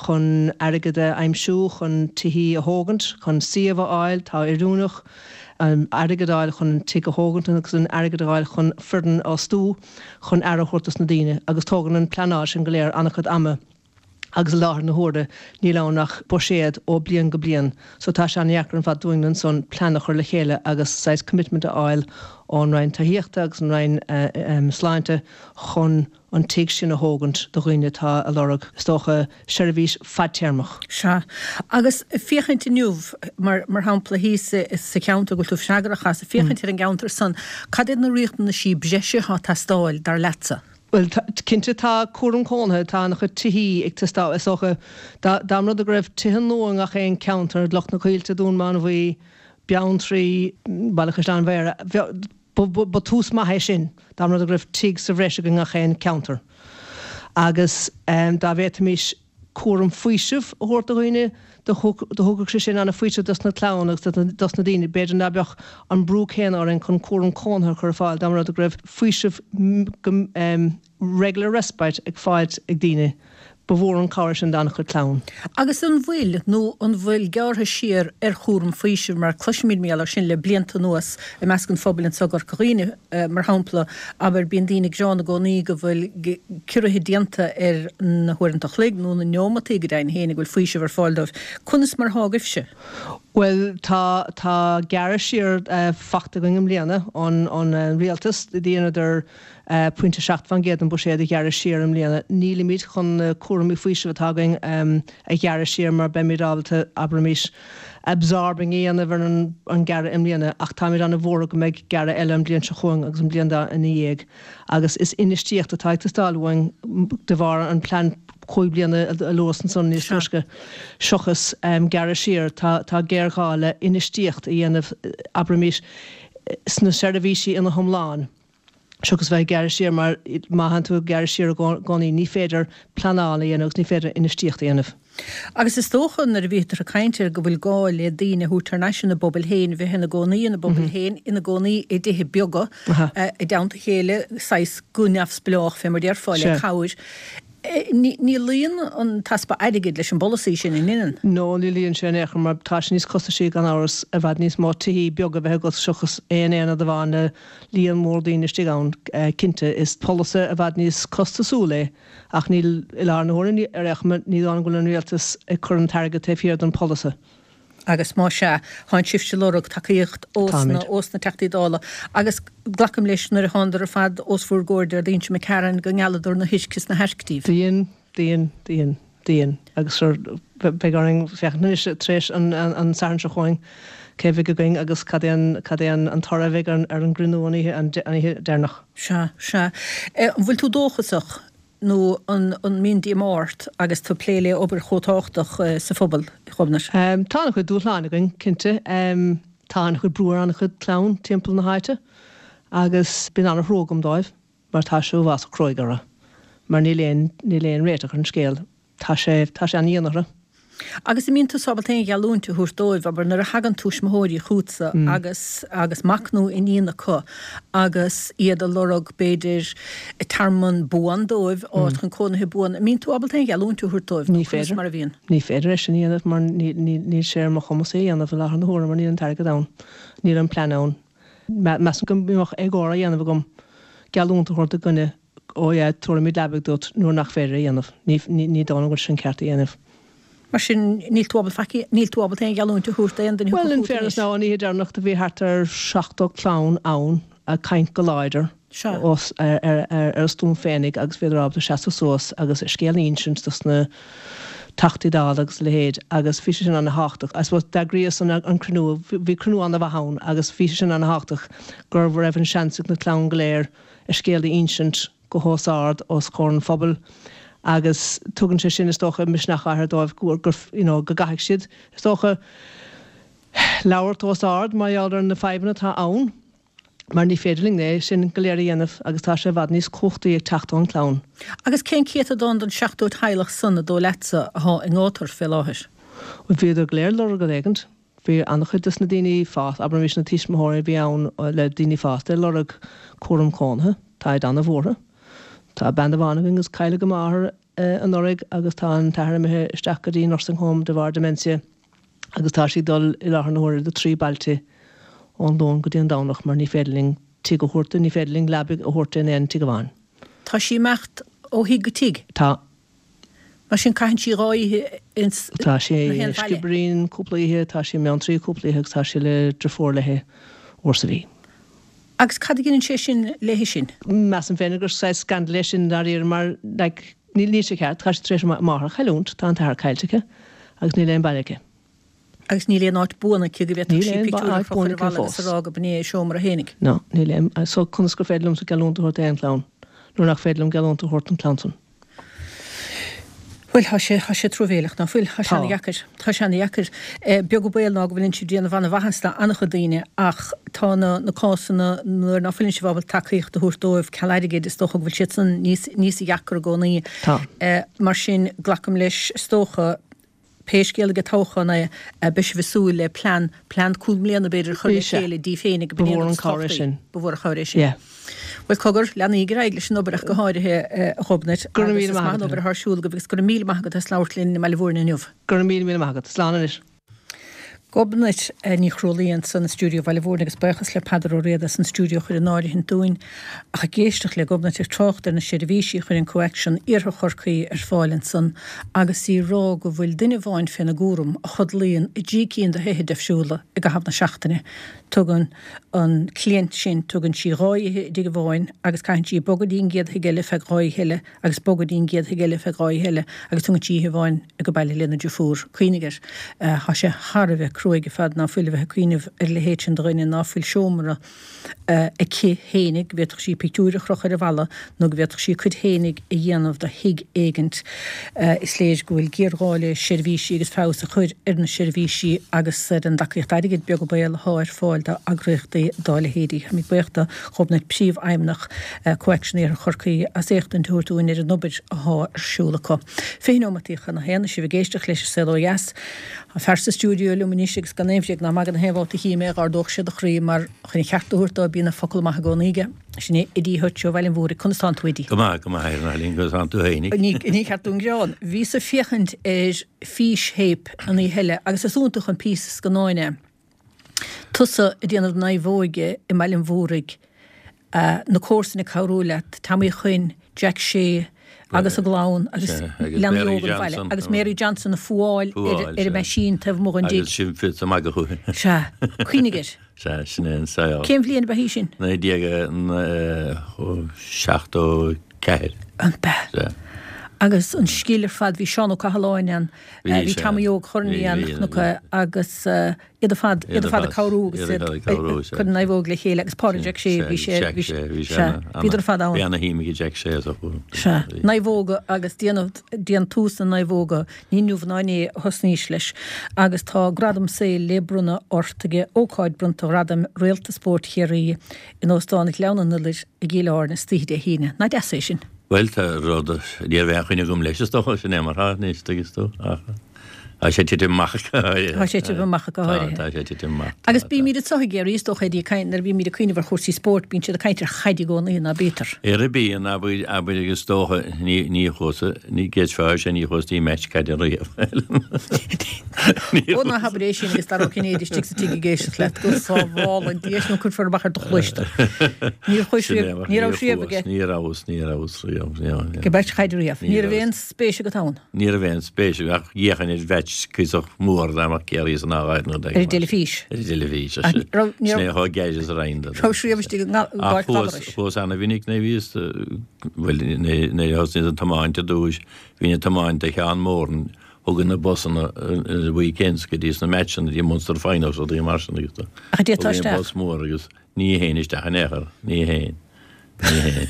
chun airgead a aimsiú chun tithí a thógaint, chun suíomh a fháil, atá oiriúnach. an airgead a fháil chun an tigh a thógaint agus an airgead a fháil chun foireann a fhostú chun aire a thabhairt dos na daoine agus tógann an pleanáil sin go léir an-chuid ama agus i láthair na huaire níl ann ach buiséad ó bliain go bliain so tá sé an-dheacair ar fad dúinn ansan plean a chur le chéile agus saghas commitment a fháil ón Roinn Tithíochta agus an Roinn Sláinte chun an tigh sin a thógaint do dhaoine atá ag lorg, is dócha, seirbhís fadtéarmach. Sea. Agus féachaint inniu, mar mar shampla thíos sa cheantar go bhfuil tú freagrach as, féachaint ar an gceantar san, cad iad na riachtanaisí breise atá ag teastáil, dar leatsa? Bhuel, cinnte tá cúram cónaithe, tá an-chuid tithí ag teastáil, is dócha, dá dá mba rud é go raibh tithe nua i ngach aon ceantar, Loch na Coillte, Dún Mánmhaí, Beanntraí, Baile Chaisleáin Bhéarra, bheadh, Ba tús maith é sin, dá mba rud é go raibh tigh sa bhreis i ngach aon ceantar. Agus dá bhféadfaimis cúram faoisimh a thabhairt do dhaoine, do thugadh sé sin an-fhaoiseamh dos na clann agus dos na daoine. B'fhéidir ná beadh an brú céanna orainn chun cúram cónaithe a chur ar fáil dá mba rud é go raibh faoiseamh go regular respite ag fáilt ag daoine. Ba mhór an cabhair sin d'an-chuid clann. Agus an bhfuil, nó an bhfuil gearrtha siar ar chúram faoisimh, mar cloisimid mar gheall air sin le blianta anuas i measc an phobail anseo i gCorca Dhuibhne, mar shampla, abair, bíonn daoine ag gearán i gcónaí go bhfuil ciorruithe déanta ar na huaireanta a chloig nó na neomataí go deimhin féin a bhfuil faoiseamh ar fáil dóibh. Conas mar atá agaibhse? Bhuel, tá, tá gearradh siar fachta againn i mbliana ón, ón rialtas. Dheineadar 0.7% den buiséad a ghearradh siar i mbliana. Nílimid chun na cúraimí faoisimh atá againn a ghearradh siar mar beimid ábalta, abraimis, absorbing a dhéanamh ar an gearradh i mbliana ach táimid an-bhuartha go mbeidh gearradh eile an bhliain seo chugainn agus an bhliain ina dhiaidh agus is infheistíocht atá ag teastáil uainn de bharr an plean chúig bliana a luas ansan níos túisce seachas gearradh siar. Tá géarghá le infheistíocht a dhéanamh, abraimis, sna seirbhísí ina hiomlán. seachas bheith ag gearradh siar mar má thánn tú ag gearradh siar i gcónaí ní féidir pleanáil a dhéanamh agus ní féidir infheistíocht a dhéanamh. Agus is dócha nuair a bhítear ag caint ar go bhfuil gá le daoine a thabhairt thar n-ais ina bpobail féin, bheith ina gcónaí ina bpobail féin, ina gcónaí i dtithe beaga i dteannta a chéile, saghas go neamhspleách fé mar déarfá, le cabhair. Ní luíonn an t-easpa airgid leis an bpolasaí sin, an ionann? No, ní luíonn sé in aon chor mar tá sé níos costaisí gan amhras i bhfad níos mó tithí beaga a bheith agat seachas aon aonad amháin le líon mór daoine istigh ann. Cinnte, is polasaí i bhfad níos costasúil é ach níl, i láthair na huaire, ar aon chuma, ní dóigh liom go bhfuil an rialtas ag cur an t-airgead taobh thiar den pholasaí. Agus más ea, thánn sibhse ag lorg tacaíocht ós na, ós na Teachtaí Dála. Agus glacaim leis nuair a thánadar ar fad os bhur gcomhair Déardaoin seo imigh tharainn go ngealladar na hoirc is na hairc díbh. Do dhein, do dhein, do dhein, do dhein. Agus sure, beidh orainn féachaint anois tar éis an, an Satharn seo chugainn cé a bheidh againn agus cad é an, cad é an, an toradh a bheidh ar, ar an gcruinniú an oíche, an oíche deireanach. Sea, sea. An bhfuil tú dóchasach? Nó an mbíonn díomá ort agus tú ag plé le obair chomh tábhachtach sa phobal, a Ghobnait? Tá an-chuid dúshláin againn, cinnte. Tá an-chuid brú ar an-chuid clann timpeall na háite agus bíonn an-thrua agam dóibh mar tá sé uafásach cruaidh orthu mar níl aon, níl aon réiteach ar an scéal. Tá sé, tá sé an-dhian orthu. Agus an mbíonn tusa ábalta aon gheallúint a thabhairt dóibh, abair, nuair a thagann tuismitheoirí chugatsa agus agus mac nó iníon acu agus iad ag lorg, b'fhéidir, tearmann buan dóibh, áit chun cónaithe buan, an mbíonn tú ábalta aon gheallúint a thabhairt dóibh nó conas mar a bhíonn? Ní féidir é sin a dhéanamh mar níl sé ar mo chumas é a dhéanamh i láthair na huaire mar níl an t-airgead ann, níl an plean ann. Measaim go mbeadh éagóir á dhéanamh agam geallúint a thabhairt do dhuine Ó yeah, tabharfaimid leabaidh duit nuair nach féidir a dhéanamh. Ní, ní dóigh liom go bhfuil sin ceart a dhéanamh. Mar sin, níl tú ábalta faic, níl tú ábalta aon gheallúint a thabhairt d'aon duine Well, in fairness now, an oíche deireanach do bhí thart ar 70 clann ann ag caint go láidir os, ar, ar, ar, ar a stuaim féinig agus bhíodar ábalta seasamh suas agus a scéal a insint dos na. Teachtaí Dála agus a leithéid agus bhí sé sin ana-thábhachtach. I suppose d'eagraíos an an cruinniú, bhí cruinniú ana-mhaith ann agus bhí sé sin ana-thábhachtach go raibh an seans ag na clann go léir a scéal a insint go hos ard os comhair an phobail agus tugann sé sin is dócha misneach áirithe dóibh gur you know go gcaithfidh siad is dócha labhairt os ard mar gheall ar na fadhbanna atá ann. mar ní féidir linn é sin go léir a dhéanamh agus tá sé i bhfad níos cumhachtaí ag teacht ón gclann. Agus cén céatadán den 70 teaghlach san, an dóigh leatsa, athá i ngátar fé láthair? Bhuel, bhíodar go léir ag lorg rud éigint. Bhí an-chuid des na daoine fásta, abraimis na tuismitheoirí a bhí ann le daoine fásta ag lorg cúram cónaithe. Táid an-bhuartha. Tá bean amháin againn agus cailleadh a máthair anuraidh agus tá an t-athair imithe isteach go dtí nursing home de bharr dementia. agus tá sí ag dul i láthair na huaire do thrí bailte ón Luan go dtí an Domhnach mar ní féidir linn tigh a thabhairt di, ní féidir linn leabaidh a thabhairt di in aon tigh amháin. Tá sí ag imeacht ó thigh go tigh? Tá. Mar sin caitheann sí dhá oíche ins Tá sí i Skibbereen cúpla oíche, tá sí i mBeanntraí cúpla oíche agus tá sí le driofúr léi uair sa mhí. Agus cad a dheineann sé sin léi sin? Measaim féin gur saghas scandal é sin dáiríre mar like níl níl sé ceart, tá sí tar éis a máthair a chailliúint, tá an t-athair caillte aici agus níl aon baile aici. Agus níl aon áit buan aici go bhféadfadh sí pictiúr a chrochadh ar an bhalla agus a rá go b'in é a seomra fhéinig. No, níl aon, so conas gur féidir liomsa geallúint a thabhairt d'aon chlann nuair nach féidir liom geallúint a thabhairt don chlann san? Bhuel, tá sé, tá sé truamhéileach, ná fuil? Tá sé ana-dheacair. Tá sé ana-dheacair. Beag an baol ná go bhfuileann sibh ag déanamh ana-mhaitheas do ana-chuid daoine ach tá na, na cásanna nuair ná fuileann sibh ábalta tacaíocht a thabhairt dóibh ceal airgid, is dócha go bhfuil siad san níos, níos deacra i gcónaí. Tá. Mar sin, glacaim leis, is dócha, Pé scéal ag an toghchán é, beidh sibh ag súil le plean, plean cúig mbliana b'fhéidir, a chur le chéile daoibh féinig Ba mhór an cabhair é sin. Ba mhór an chabhair é sin. Yeah. Bhuel, cogar, leanaíg ar aghaidh leis an obair ach go háirithe, a Ghobnait, Go raibh míle maith agat. an obair atá ar siúl agaibh agus go raibh míle maith agat as labhairt linn i mBaile Mhúirne inniu. Go raibh míle míle maith agat. Slán anois. Gobnait Ní Chrualaoi ansan i stiúideo Bhaile Mhúirne agus buíochas le Peadar Ó Riada as an stiúideo a chur in áirithint dúinn. Ach ag éisteacht le Gobnait ag trácht ar na seirbhísí a chuireann CoAction Iarthar Chorcaí ar fáil ansan agus í ag rá go bhfuil duine amháin féna gcúram a chodlaíonn i dtrí cinn de thithe difriúla i gcaitheamh na seachtaine. Tugann an cliant sin, tugann sí dhá oíche i dtigh amháin agus caitheann sí bogadh dtí an gcéad thigh eile feadh dhá oíche eile agus bogadh dtí an gcéad thigh eile feadh dhá oíche eile agus tugann sí oíche amháin ag baile lena driofúr. Cuimhnigh air. Tá sé thar a bheith cruaidh ar fad ná fuil a bheith ag cuimhneamh ar a leithéid sin de dhuine ná fuil seomra aici fhéinig go bhféadfadh sí pictiúir a chrochadh ar an bhalla nó go bhféadfadh sí a cuid fhéinig a dhéanamh de thigh éigint. Is léir go bhfuil géarghá le seirbhísí agus feabhas a chur ar na seirbhísí agus ar an dtacaíocht airgid, beag an baol, atá ar fáil d'eagraíochtaí dá leithéidí. Táimid buíoch do Ghobnait, Príomhfheidhmeannach CoAction Iarthar Chorcaí, as éachtaint a thabhairt dúinn ar an obair athá ar siúl acu. 20 neomataí chun a haon, is sibh ag éisteacht leis an Saol Ó Dheas. Tá fear sa stiúideo liom anois agus gan aon bhréag ná magadh na haon bhabhta a chím é dh'ardódh sé do chroí mar chun an cheart a thabhairt dó bíonn an focal maith i gcónaí aige. Sin é Eddie Hutch ó Bhaile an Mhúraigh. Conas tánn tú Eddie? Go maith, go maith a Eileen, conas tánn tú fhéinig? Ní ceart dúinn gearán. Bhíos ag féachaint ar físthéip an oíche eile agus is iontach an píosa scannáin é. Tusa ag déanamh naomhóige i mBaile an Mhúraigh, na comharsana ag cabhrú leat, Tommy Chuinn, Jack Shea agus a gclann agus leanaí óga an bhaile agus Mary Johnson ag fuáil ar an meaisín taobh amuigh den dtigh. Agus sibh ag magadh fúithi. Sea. Cuimhnigh air. Sea, sin é an saol. Cén bhliain ab ea í sin? 1974. An b'ea? Sea. Agus an scil ar fad, bhí Seán Ó Cathaláin ann, bhí Tommy Óg Chornley ann, chonac agus iad ar fad, iad ar fad ag cabhrú agus iad ag cur an naomhóg le chéile agus Pádraig Jack Shea, bhí sé, bhí sé, sea, bhíodar ar fad ann. Bhí ana-shuim ag Jack Shea sa chúram. Sea, naomhóga agus déanamh, déantús na naomhóga, ní inniu ná inné a thosnaís leis agus tá gradam saoil le bronnadh ort ag ócáid bronnta Ghradaim Réalta Spóirt Chiarraí in Óstán Ghleann an Iolair i gCill Airne istoíche Dé hAoine. Nach deas é sin? Bhuel, tá rud, ní raibh aon choinne agam leis, is dócha, sin é mar atá anois, tuigeann tú, ach tá sé titim amach go háirithe. Tá sé titim amach go háirithe. Tá, tá sé titim amach. Agus bímid anseo i gCiarraí, is dócha, Eddie, ag caint, nuair a bímid ag cuimhneamh ar chúrsaí spóirt, bíonn siad ag caint ar chaid i gcónaí, ná bítear? Ar bíonn, abair, abair agus is dócha, ní, ní chuas, ní gceidfeá sé, ní chuas dtí match caide riamh. Ó ná habair é sin agus Dara Ó Cinnéide istigh sa tigh ag éisteacht leat go sábhála Dia sinn nó cuirfear amach ar do chluais tú. Níor chuais riamh, ní raibh riamh aige. Ní rabhas, ní rabhas riamh. Ag match caide riamh. Ní raibh aon spéis agat ann? Ní raibh aon spéis agam ach d'fhéachainn ar mheaits cuíosach mór dá mbeadh Ciarraí san áireamh nó Ar an dteilifís? Ar an dteilifís. Sin é chomh gearr is a raghainn do. Raibh riamh istigh i bPáirc Ghallarais? Ach chuas ana-mhinic nuair a bhíos, bhuel, nuair a thosnaíos ag tiomáint ar dtúis, bhínn ag tiomáint do Sheán Moran. Thugadh na busanna ar weekends go dtí sna matchanna, dtí Munster Finals, rudaí mar sin agus Ach d'fhéadfá thugadh isteach. bus mór agus ní théinn isteach in aon chor, ní théinn, ní théinn.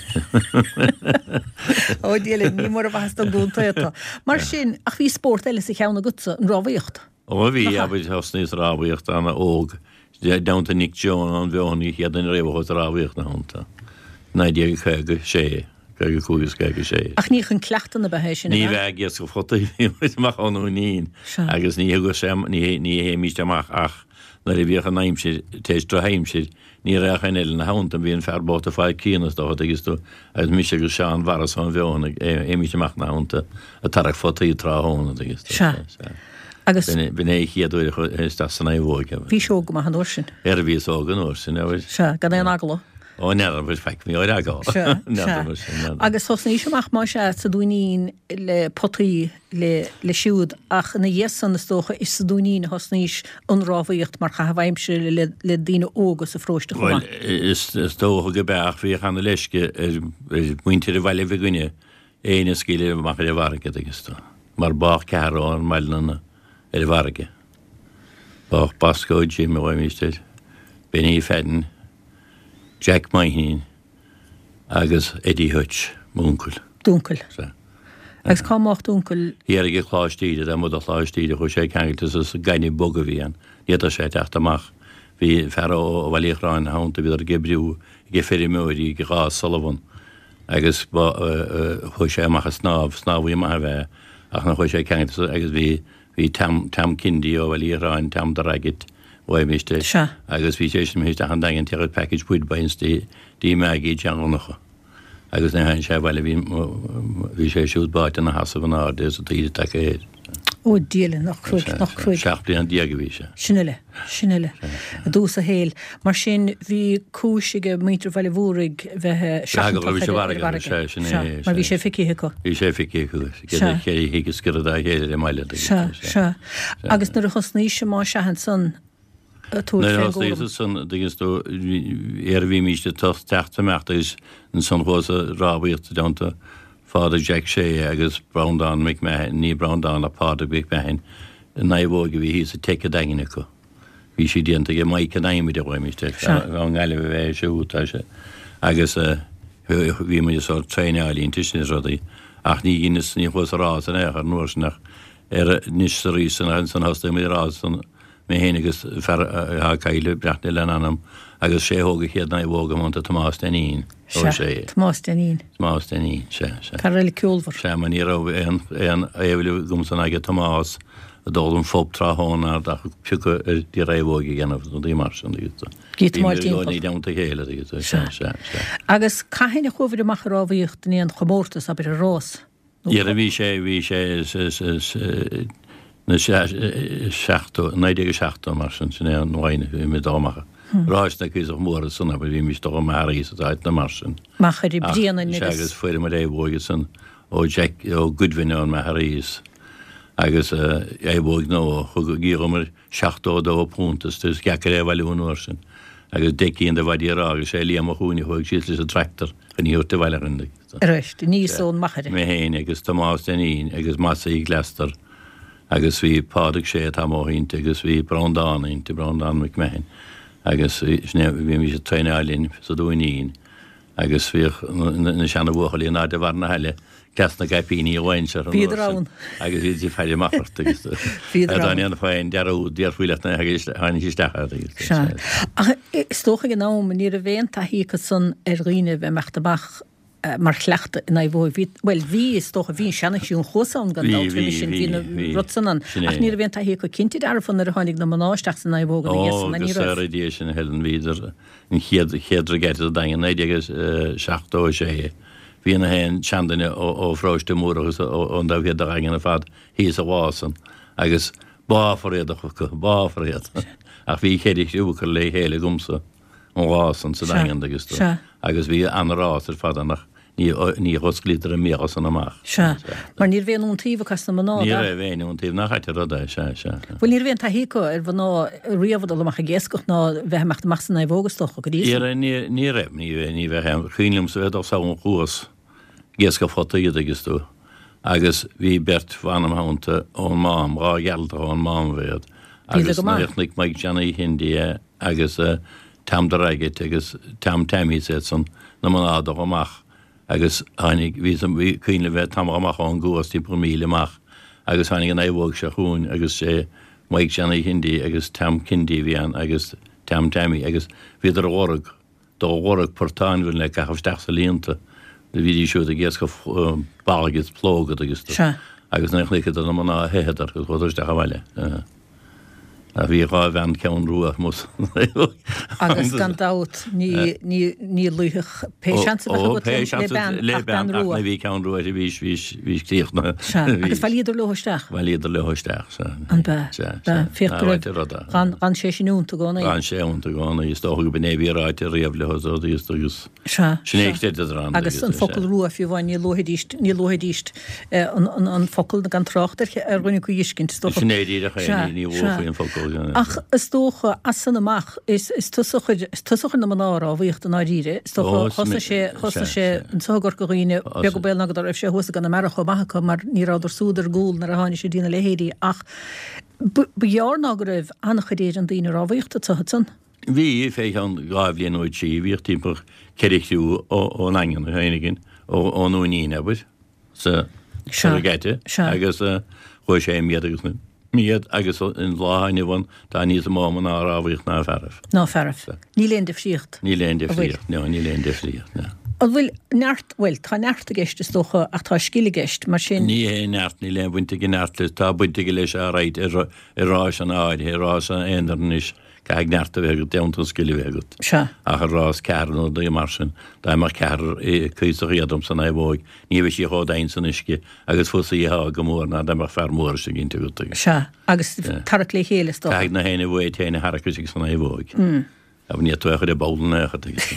Ó Dia linn, ní mór an mhaitheas don gcontae atá. Mar sin, ach bhí spórt eile sa cheann agatsa, an rámhaíocht. Ó bhí, abair, thosnaíos ag rámhaíocht ana-óg, i dteannta Nick Jones ón Bhfeothain, an chéad duine riamh a chuaigh ag rámhaíocht ina theannta, 1956, 55 is 56. Ach ní chun cleachtadh ab ea é sin, ab ea? Ní b'ea, ag iascach potaí a bhí muid amach ón Dúinín agus ní thugadh sé, ní théimíst amach ach nuair a bhíodh an aimsir, tar éis drochaimsir, Ní raibh aon eile ina theannta, bhí an fear bocht ag fáil críonna is dócha, tuigeann tú, agus mise agus Seán Mharas ón bhFeothain ag théimís amach ina theannta ag tarrac photaí tráthnóna, tuigeann tú. Sea. Sea. Agus. B'in é an chéad uair a chuaigh isteach san naomhóig. Bhís óg go maith an uair sin. Ar bhíos óg an uair sin, abair. Sea, gan aon eagla. Ó, n'fheadar, bhuel, faic, bhí ar eagla. Sea, N'fheadar, sea. n'fheadar. Agus thosnaís amach, más ea, sa Dúinín le potaí le le siúd ach ina dhiaidh san is dócha is sa Dúinín a thosnaís an rámhaíocht mar chaitheamh aimsire le le daoine óga sa pharóiste chomh Bhuel, maith. is is dócha go b'ea ach bhíodh ana leisce ar ar mhuintir an bhaile bhig againne éinne a scaoileadh amach ar an bhfarraige tuigeann tú, mar bádh ceathrar ón mbaile ina ar an bhfarraige. Bádh Bosco Jim a ghlaoimíst air, Benny Fadden, Jack Moynihan, agus Eddie Hutch, m'uncail. D'uncail. Sea. Agus cá mbádh d'uncail? Thiar ag an Chlár Stíre, taobh amuigh de Chlár Stíre, chuaigh sé ceangailte sa gaineamh bog a bhí ann. Ní fhéadfadh sé teacht amach. Bhí fear ó Bhaile Uí Chorráin ina theannta, bhíodar ag oibriú ag feirmeoirí ag Ráth Sullivan agus ba, chuaigh sé amach ag snámh, snámhaí maith ab ea é, ach nuair a chuaigh sé ceangailte agus bhí, Bhí Tom, Tom Kindy ó Bhaile Uí Chorráin, Tom the Ragged, ghlaoimíst air. Sea. Agus bhí sé sin imithe isteach an Daingean ag tabhairt package Woodbines dtí, dtí Maggie i dTeach Dhonncha. Agus nuair a tháinig sé abhaile bhí, bhí sé siúd báite ina sheasamh in airde is an taoide tagtha air. Ó Dia linn, nach cruaidh, nach cruaidh. 17 bliana a bhí sé. Sin uile, sin uile. I dtús a shaoil. Mar sin, bhí cúis ag muintir Bhaile Mhúraigh bheith seachantach ar an bhfarraige. Sea, mar bhí sé feicthe acu. Bhí sé feicthe acu. Sea. Ceithre thigh ag sciorradh dá chéile ar an mbaile. Sea, sea. Agus nuair a thosnaís más ea ansan ag tabhairt Nuair a fén thosnaíos gcúram. ansan, tuigeann tú, ar bhímíst ag teacht amach agus ansan chuas ag rámhaíocht i dteannta Father Jack Shea agus Breandán McMahon, ní Breandán ach Pádraig McMahon, an naomhóig a bhí thíos sa Teic an Daingin acu. Bhí sí déanta ag Mike an Adhmaid a ghlaoimíst air, Sea. ón nGaillimh ab ea é siúd, tá sé. Agus bhí muid ag sórt traenáil inti sin is rudaí ach ní dheineas, ní chuas ag rás in aon chor an uair sin ach ar anois is arís san ansan thosnaigh muid ag rás san mé féin agus fear atá caillte, Breathnach lena anam, agus sé a thóg an chéad naomhóg i dteannta Tomás Dainín. Sea, sé. Tomás Dainín. Tomás Dainín, sea, sea. Fear eile ceolmhar. Sea, mar ní raibh aon, aon aoibhinn agamsa ná ag Tomás ag dul an phub tráthnóna ach piocadh ar naomhóg a dhéanamh, rudaí mar sin, tuigeann tú. Gíotamáil Bhí muid i gcónaí timpeall. i dteannta a chéile, tuigeann tú, Sea. sea, sea, sea. Agus cathain a chuabhair amach ag rámhaíocht in aon chomórtas, abair, i rás? Nó Dhera, bhí sé, bhí sé na 70, 1970 mar sin, sin é an bhliain a bhí muid dul amach. Rás na Cuíosach Mór ansan, abair, bhí muid dul amach arís is áiteanna mar sin. Machaire Ach, Bréanainn sea, agus. agus fuair muid naomhóig ansan ó Jack, ó Goodwin ón Machaire agus naomhóig nua, thug, dhíolamar £72 as is deacair é a bhailiú an uair sin agus deich gcinn de mhaidí ráithe agus sé Liam Ó Chúinne a chuaigh síos leis an tractor chun í a thabhairt abhaile dhúinn. Arís, aníos ón Machaire. Mé féin agus Tomás Dainín agus Mossie Glastar agus bhí Pádraig Sé atá amuigh inti agus bhí Breandán inti, Breandán McMahon agus sin é, bhímís ag traenáil linn sa Dúinín Agus bhíodh na seana-bhuachaillí in airde bharr na haille, cleas na gcaipíní a bhain siar an uair Bhíodar sin ann. agus iad ag faire amach ort agus Bhíodar dá ann. ndéanfá aon dearúd, déarfaí leat nuair a tháinig sí isteach ort agus Sea. Ach is dócha ag an am ní raibh aon taithí acu san ar dhaoine a bheith ag imeacht amach mar chleachtadh in aghaidh bhí, bhuel bhí, is dócha, bhí an seana-chriú an Chuasa ann gan Bhí, dabht bhí, roimhe sin, bhí, bhí na bhí. rud san ann. Sin Ach é. ní raibh aon taithí acu cinnte dearfa nuair a tháinig na mná isteach san naomhóg ina dhiaidh Ó, san, go ní raibh. saora Dia sinn a Helen, bhíodar An chéad chéad regatta sa Daingean, 1976, bhí na haon seanduine ó Pharóiste Múrach agus ón dtaobh thiar de Dhaingean ar fad thíos an lá san agus báfar iad acu, báfar iad. Ach bhí cheithre chriú curtha le chéile agamsa an lá san sa Daingean agus agus bhí an-rás ar fad ann ach Ní dh'osclaíodar a mbéal san amach. Sea. Mar ní raibh aon iontaoibh acu as na mná, Ní ab ea? raibh aon iontaoibh, nach ait an rud é, sea, sea. Bhuel, ní raibh aon taithí acu ar mhná riamh a dhul amach ag iascach ná bheith ag imeacht amach san naomhóg, is dócha, go dtí Ní san. raibh, ní, ní raibh, ní, ní bheadh aon, cuimhin liomsa bheith ag dul sall an Chuas ag iascach potaí, an dtuigeann tú. Agus bhí beirt bhan im theannta ón Mám, 2 Ghearaltach ón Mám ab iad. Agus nuair a chonaic Mike Johnny Shindy é agus Tom the Raggett agus Tom Tammy is iad san, na mná dul amach agus tháinig, bhí, bhí cuimhin liom bheith tamall amach ón gcuas, timpeall míle amach, agus tháinig an naomhóg seo chugainn agus sé Mike Johnny Shindy agus Tom Kindy a bhí ann agus Tom Tammy agus bhíodar a lorg. Do lorg portáin bhinn le caitheamh isteach sa líonta. Do bhídís siúd ag iascach balg is plógad agus do. Sea. Agus nuair a chonaiceadar na mná theitheadar agus chuadar isteach abhaile. Ach bhí 2 bhean ceann rua amuigh san Agus gan dabht ní, ní, ní luífeadh pé seans a bheadh agat le bean le ach bean bean ach rua. nuair a bhí ceann rua uirthi bhís, bhís, bhís críochnaithe. Sea. Agus bhailíodar leo isteach. Bhailíodar leo isteach, sea. An b'ea? Sea, B'ea. sea. Féach Ná go raibh, ráite rud é. d'fhan, d'fhan sé sin iontu i gcónaí. D'fhan sé iontu i gcónaí. Is dócha go b'in é a bhí ráite riamh leo is agus, agus Sea, sin é sea. chreideadar ann Agus agus, an focal sea. rua fiú amháin ní luafaidís, ní luafaidís an, an, an focal gan trácht ar, ar dhuine acu a dh'fheiscint, is dócha. Sin é díreach é, Sea, ní, ní sea. luafaí an focal, sea. Ach is dócha, as san amach, is, is tusa a chuir, is tusa a chuir na mná ag rámhaíocht i ndáiríre. Is dócha, Ó, is thosnaigh sé, sea, thosnaigh sé sea. anso i gCorca Dhuibhne, beag Sea. an baol ná go raibh sé thuas i gConamara chomh maith acu mar ní rabhadar súd ar gcúl nuair a tháinig sé dtí na leithéidí ach ba ghearr ná go raibh an-chuid Éireann daoine rámhaíochta anso ansan. Bhí, fé cheann 2 bhliain nó 3, bhíodh timpeall 4 chriú ón nDaingean féin againn, ón nDúinín, abair, sa Sea, regatta sea. agus chuaigh sé i méad agus i méad agus an lá atá inniu ann tá níos mó mná ag rámhaíocht ná fearaibh. Ná fearaibh. Sea. Níl aon difríocht. Níl aon An bhfuil? difríocht, no, níl aon difríocht, no. An bhfuil neart, bhuel, tá neart i gceist is dócha ach tá scil i gceist, mar sin. Ní hé neart, níl aon bhaint ag an neart leis, tá baint aige leis alright i rásanna áirithe, i rása aonair anois, caithfidh neart a bheith agat, déanta an scil a bheith agat. Sea. Ach i rás ceathrar nó rudaí mar sin, dá mbeadh ceathrar cuíosach éadrom san naomhóig, ní bheadh sí chomh domhain san uisce agus fusaí atá go mór ná dá mbeadh fear mór istigh inti agat agus. Sea, agus tarrac le chéile is dócha. Caithfidh na héinne uait féin a tharrac istigh san naomhóig. Abair ní tú a chur i bpoll in aon chor agus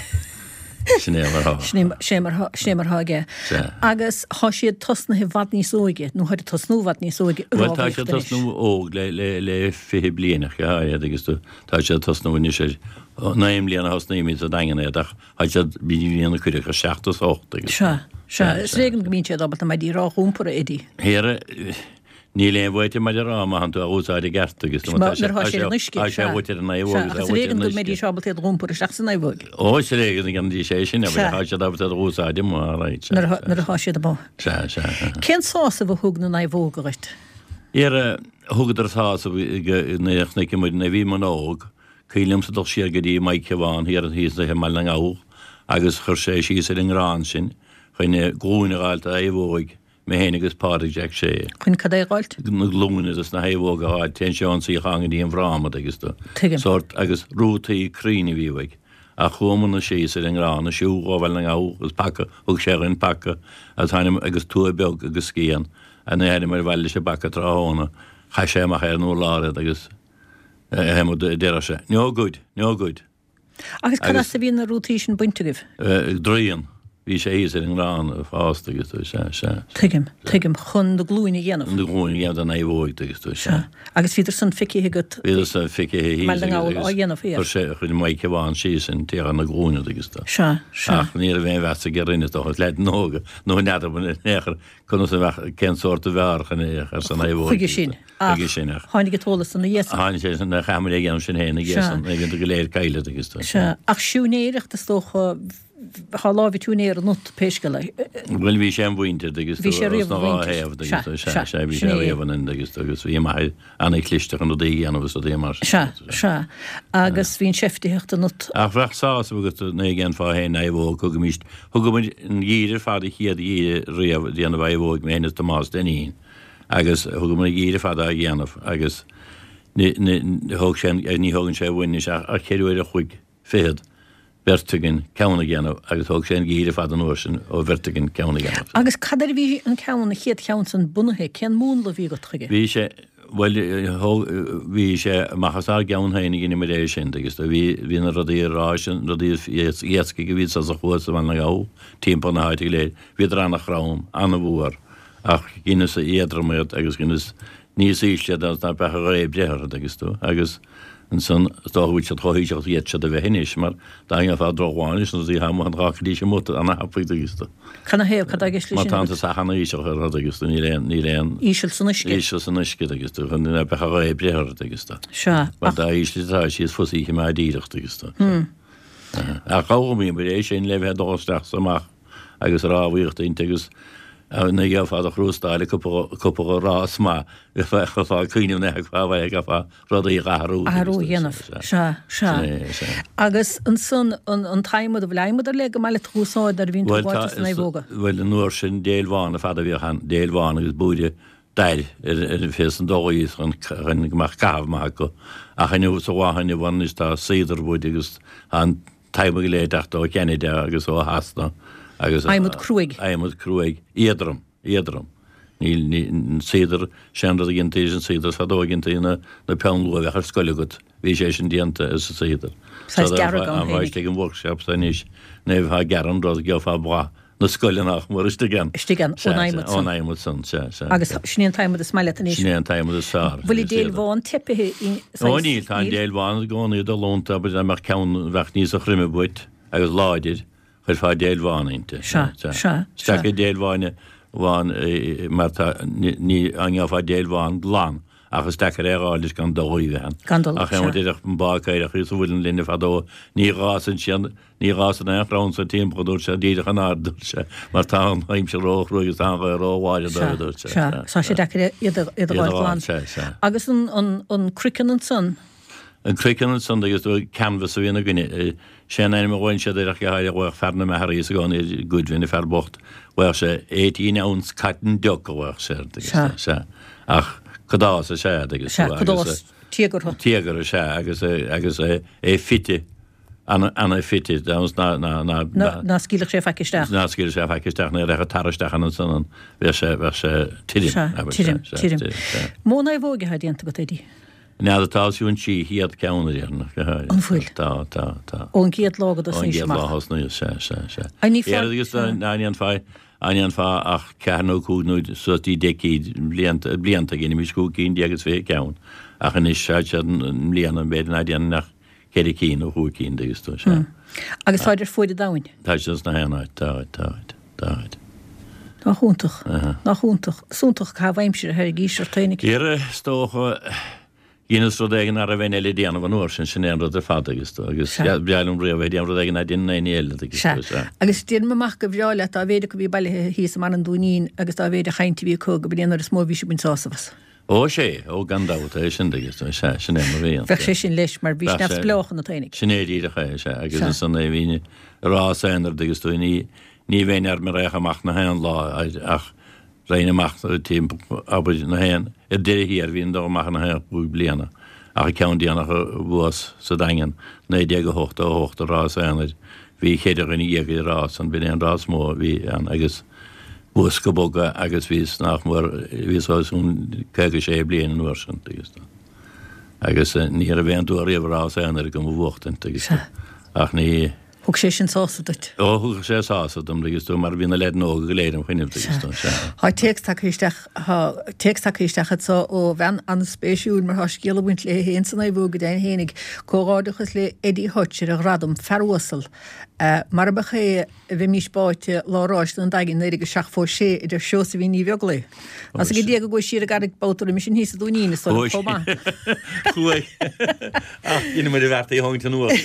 sin é mar thá. Sin é mar thá, sin é mar thá aige. Sea. Agus thá siad tosnaithe i bhfad níos óige, nó tháid ag tosnú i bhfad níos óige i Bhuel tá rámhaíocht siad anois. tosnú óg le, le, le 20 bliain ach go háirithe agus tú, tá siad tosnú anois ar 9 mbliana a thosnaímid sa Daingean iad ach tá siad bhí bliain a cuireadh ar 7 is 8 agus. Sea, sea. Sea, Is sea. ar éigean go mbíonn siad ábalta maidí á n-iompar, a Eddie. Thiar, Níl aon bhaint ag maide rá má thánn tú á úsáid i gceart agus Nuair atá sé ar an uisce, tá sé sea. dhuit ar an naomhóg Sea, agus ach á is ar dhuit ar éigean an go uisce. mbeidís ábalta iad a dh'iompar isteach san naomhóg. Ó, is ar éigean go ndéanfaidís é sin, Sea. tá siad ábalta iad a dh'úsáid amuigh, all right, sea, Nuair sea, nuair atá siad amuigh. sea, sea, sea. Cén sásamh a thug na naomhóga dhuit? Dhera, thugadar sásamh go nuair a chonaic muid nuair a bhí muid óg, cuimhin liomsa dul siar go dtí Mike Bhán thiar thíos i mBaile na nGall agus chuir sé síos ar an ngrán sin chun glúine a dh'fháilt do naomhóig Mé féin agus Pádraig Jack Shea. Chun cad é a dh'fháilt? Na glúine dos na naomhóga a dh'fháilt, téann sé ón suíochán go dtí an bhfráma agus do. Tuigim. Sórt agus rútaí crainn a bhí uaidh. Ach chuamarna síos ar an ngrán ag siúl ó Bhaile na nGall agus paca, thug sé dhuinn paca agus tháinig agus tua beag agus scian agus nuair a tháinigeamar abhaile leis an bpaca tráthnóna chaith sé amach ar an urlár iad agus eh, deireadh sé, No good, no good. Agus cad as a bhí na rútaí sin bainte agaibh? Draíon. Bhí sé thíos ar an ngrán ag fás agus tú, sea, sea. Tuigim, tuigim. Chun na glúine a dhéanamh. Na glúine a dhéanamh don naomhóig agus tú, sea. Sea. Agus bhíodar san feicthe agat. Bhíodar san feicthe thíos Baile na nGall á dhéanamh thiar. Chuir sé, chuir Mike Bhán síos an t-aon na glúine agus tú. Sea, sea. Ach ní raibh aon mheas aige orainn is dócha, leaideanna óga, nó n'fheadar in aon chor conas a bheadh, cén sórt a bheadh chun é a chur san naomhóig. Chuige sin. Ach Chuige sin, ach. tháinig an t-eolas san ina dhiaidh san. Tháinig sé san, chaith muid é a dhéanamh sin féin ina dhiaidh san, Sea. bhíodar go léir caillte agus tú. Sea. Ach siúinéireacht is dócha, thá lámh ag siúinéir ionat pé scéal é. Bhuel bhí sé im mhuintir agus Bhí tú, sé riamh os na im dhá mhuintir. thaobh agus Sea, tú, sea, sea, sea, bhí sin sé é. riamh ionainn agus tú, agus bhí m'athair an-chliste chun rudaí a dhéanamh agus rudaí mar sin. Sea, sea. Agus bhí an tseiftitheacht ionat. Ach bheadh sásamh agat nuair a dhéanfá féin naomhóg, thugaimíst, thugamar an geimhreadh ar fad an chéad gheimhreadh riamh ag déanamh naomhóig, mé féin is Tomás Dinneen. Agus thugamar an geimhreadh ar fad á dhéanamh agus ní thóg sé, ní thógann sé uainn anois ach cheithre uair a chloig fichead, beirt againn, ceann a dhéanamh agus thóg sé an geimhreadh ar fad an uair sin ó bheirt againn ceann a dhéanamh. Agus cad air a bhí an ceann, an chéad cheann san bunaithe? Cén múnla a bhí agat chuige? Bhí sé, bhuel, thóg, bhí sé amach as ár gceann féin a dheineamar é sin agus bhí, bhí na rudaí ráis, na rudaí iascaigh a bhí sa chuas i Baile na nGall, timpeall na háite go léir, bhíodar an-throm, an-fhuar. Ach dheineas éadrom iad agus dheineas níos ísle iad agus ná beadh a ghaoth ag breith orthu agus tú agus Ansan, is dócha go bhfuil siad chomh híseal is a d'fhéadfadh siad a bheith anois, mar dá ngeofá drochbhá anois na rudaí atá amuigh an ghlacfaidís amuigh ana-thapaidh agus do. Canathaobh, cad tá i gceist leis Má sin tá an agat? t-sach ana-íseal ar rud agus do níl aon, níl aon. Íseal san uisce. Íseal san uisce agus do, chun ná beadh a ghaoth ag breith ort agus do. Sea, Mar ach. dá ísle atá sí is fusa í a choimeád díreach agus do. Ach d'fhoghlaimíomar é sin le bheith ag dul isteach is amach agus rámhaíocht inti agus ní gheofá do chrústáil cúpla cúpla rás maith bheifeá ag cuimhneamh na fá bheith ag fá rudaí a athrú. Athrú a dhéanamh. Sea, sea. Agus ansan an t-adhmad, an bhfuil adhmad ar leith go maith leat a úsáid nuair a bhíonn tú ag fáilt sna naomhóga? Bhuel an uair sin déil bhán ar fad a bhíodh ann, déil bhán agus búire dair ar fés an dóigh chun go mbeadh caitheamh maith acu. Ach inniu sa lá inniu ann anois tá cedarwood agus tá an t-adhmad go léir ag teacht ó Cheanada agus ó Shasana agus. Adhmad cruaidh. Adhmad cruaidh, éadrom, éadrom. Níl, ní, an cedar, sé an rud a dhéantaí leis an cedar fadó a dhéantaí na, na peann luaidhe a bheadh ar scoil agat, bhí sé sin déanta as an cedar. Saghas dearg ann féinig. Istigh an workshop so anois, nuair a bheifeá ag gearradh an rud, gheofá boladh na scoile nach mór istigh ann. Istigh ann, ón adhmad san. Ón adhmad san, sea, sea. Agus sin é an t-adhmad is maith leat anois. Sin é an t-adhmad is fearr. Bhfuil an déil bhán teipithe i saghas. Ó níl, tá an déil bhán i gcónaí ag dul iontu, abair dá mbeadh ceann a bheadh níosa throime uait agus láidir, chuirfeá déil bhán inti. Sea, sea, sea. Is deacair déil bhán, bhán mar tá, ní, an ngeofá déil bhán glan ach is deacair é a dh'fháil leis gan dul a bheith ann. Gan dul, Ach é sea. mar déarfadh an báicéireach thíos sa mhuileann linne fadó, ní dh'fhásann siad, Ní dh'fhásann aon chrann sa timpeall, a dúirt sé, díreach in airde, a dúirt sé, mar tá an aimsir ró-chruaidh agus tá an ghaoth ró-láidir dóibh, a dúirt sé. Sea, sea. Tá sé deacair iad a iad a Iad a dh'fháil glan. dh'fháil, sea, sea. Agus an, an, an craiceann ansan? An craiceann ansan, agus canvas a bhíonn againne. Sé an ainm a ghlaonn siad air ach go háirithe, ghlaodh fear na Machaire i gcónaí ar Goodwin, an fear bocht, ghlaodh sé eighteen ounce cotton duck a ghlaodh sé air, agus, Sea. sea. Ach cadás is ea, agus, Sea, agus, cadás tíogartha. Tíogartha, sea, agus, agus é fite. Ana-fhite, ná, ná, ná, Ná, ná scaoilfeadh sé faic isteach. Ná scaoilfeadh sé faic isteach, ní rachadh tar isteach ann ansan ann, bheadh sé, bheadh sé tirim, Sea, abair, tirim, sea, tirim. sea, sea. Mó naomhóige atá déanta agat, Eddie? N'fheadar, tá os cionn 300 ceann a déarfainn, go háirithe. An bhfuil? Tá, tá, tá. Ón gcéad lá go Ón dtosnaís gcéad lá amach. a thosnaíos, sea, sea, sea. An ní fá, Éireann agus sea. ná ndéanfá, á ndéanfá ach ceathair nó cúig nó suas dtí 10 cinn, blianta, blianta, dheinimís cúig cinn déag is fiche ceann, ach anois, tá siad i mbliana, b'fhéidir ná déanfainn ach ceithre cinn nó chúig cinn agus tú, sea. Agus táid ar fuaid an domhain. Tá siad sna haon áit, táid, táid, táid. Nach iontach, nach iontach. Is iontach caitheamh aimsire a théann ort fhéinig. Dhera, is dócha, dheineas rud éigin nach raibh éinne eile ag déanamh an uair sin, sin é an rud ar fad agus tú, agus Sea. bhreá liom riamh a bheith ag déanamh rud éigin ná déanann éinne eile agus Sea. tú, sea. Agus déanaim amach gur bhreá leat dá mhéid acu a bhí bailithe thíos i mBarra an Dúinín agus dá mhéid a chaint a bhí acu go b'in é an uair is mó a bhí ag baint sásamh as. Ó sé, ó gan dabht, é sin agus sea, sin é mar bhí. Bheadh sé sin leis mar bhís neamhspleách ionat fhéinig. Sin é díreach é, sea, agus ansan é bhínn ag rás aonair agus tú, ní, ní bheinn ar mo réidh amach na haon lá ach raghainn amach timpeall, abair, na haon, ar deireadh thiar bhínn ag dul amach na haon chúig bliana ach an ceann déanach a bhuas sa Daingean, 1988 an rás aonair, bhí cheithre dhuine dhéag ag rás ann, b'in é an rás mór a bhí ann agus. Bhuas go bog é agus bhíos nach mór, bhíos os cionn 56 bliain an uair sin, agus agus ní raibh aon dua riamh rás aonair agam a bhuachtaint agus ach ní. Thug sé sin sásamh duit? Ó, thug sé sásamh dom, agus tú, mar bhí na leaideanna óga go léir im choinnibh, agus tú, sea. Tá téacs tagtha isteach, tá téacs tagtha isteach anso ó bhean an-spéisiúil mar tá scéal ag baint léi féin sa naomhóg go deimhin fhéinig, Comhghairdeachas le Eddie Hutch ar a ghradam, fear uasal. Mar ab é Bheimís báite lá ráis an Daingin 1976, a deir Seosaimhín Ní Bheaglaoich. As go dtí go gcuaigh siar an gcarraig babhta roimis sin thíos sa Dúinín, is dóigh liom, chomh maith. Chuaigh. Ach dhein muid an bheart í a tharraingt anuas.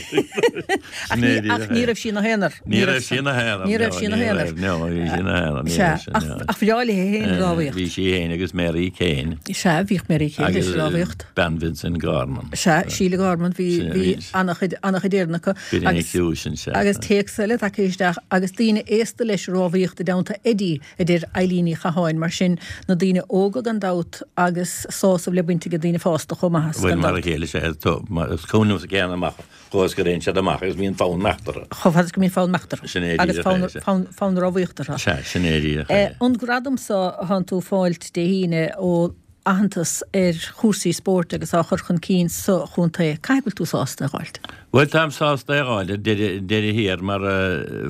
Ach ní, ach ní raibh sí ina haonar. Ní raibh sí ina haonar. Ní raibh sí ina haonar. No, ní raibh sí ina haonar. Ní Sea, raibh sí, ach, no. ach bhreá léi féin an rámhaíocht. Bhí sí féin agus Mary Kane. Sea, bhíodh Mary Kane leis Agus an rámhaíocht. bean Vincent Gorman. Sea, Síle Gorman, bhí, Sea, bhí bhí. an-chuid, an-chuid Éireannach acu. Bhí an criú sin, sea. Agus téacs eile tagtha isteach, agus daoine aosta leis rámhaíocht i dteannta Eddie, a deir Eileen Ní Chatháin. Mar sin, na daoine óga gan dabht agus sásamh le baint ag daoine fásta chomh maith as, Bhuel, gan mar a dabht. chéile, sea, tá, is cuimhin liomsa céanna amach chomh is go dtéann siad amach agus bíonn fonn imeacht orthu. Chomh fada is go mbíonn fonn imeacht orthu. Sin é Agus díreach fonn, é, sea. fonn, fonn rámhaíochta orthu. Sea, sin é díreach é. An gradam so a thánn tú ag fáilt Dé hAoine ó aitheantas ar chúrsaí spóirt agus á chur chun cinn sa chontae. Caithfidh go bhfuil tú sásta é a dh'fháilt? Bhuel, táim sásta é a dh'fháil ar deireadh thiar mar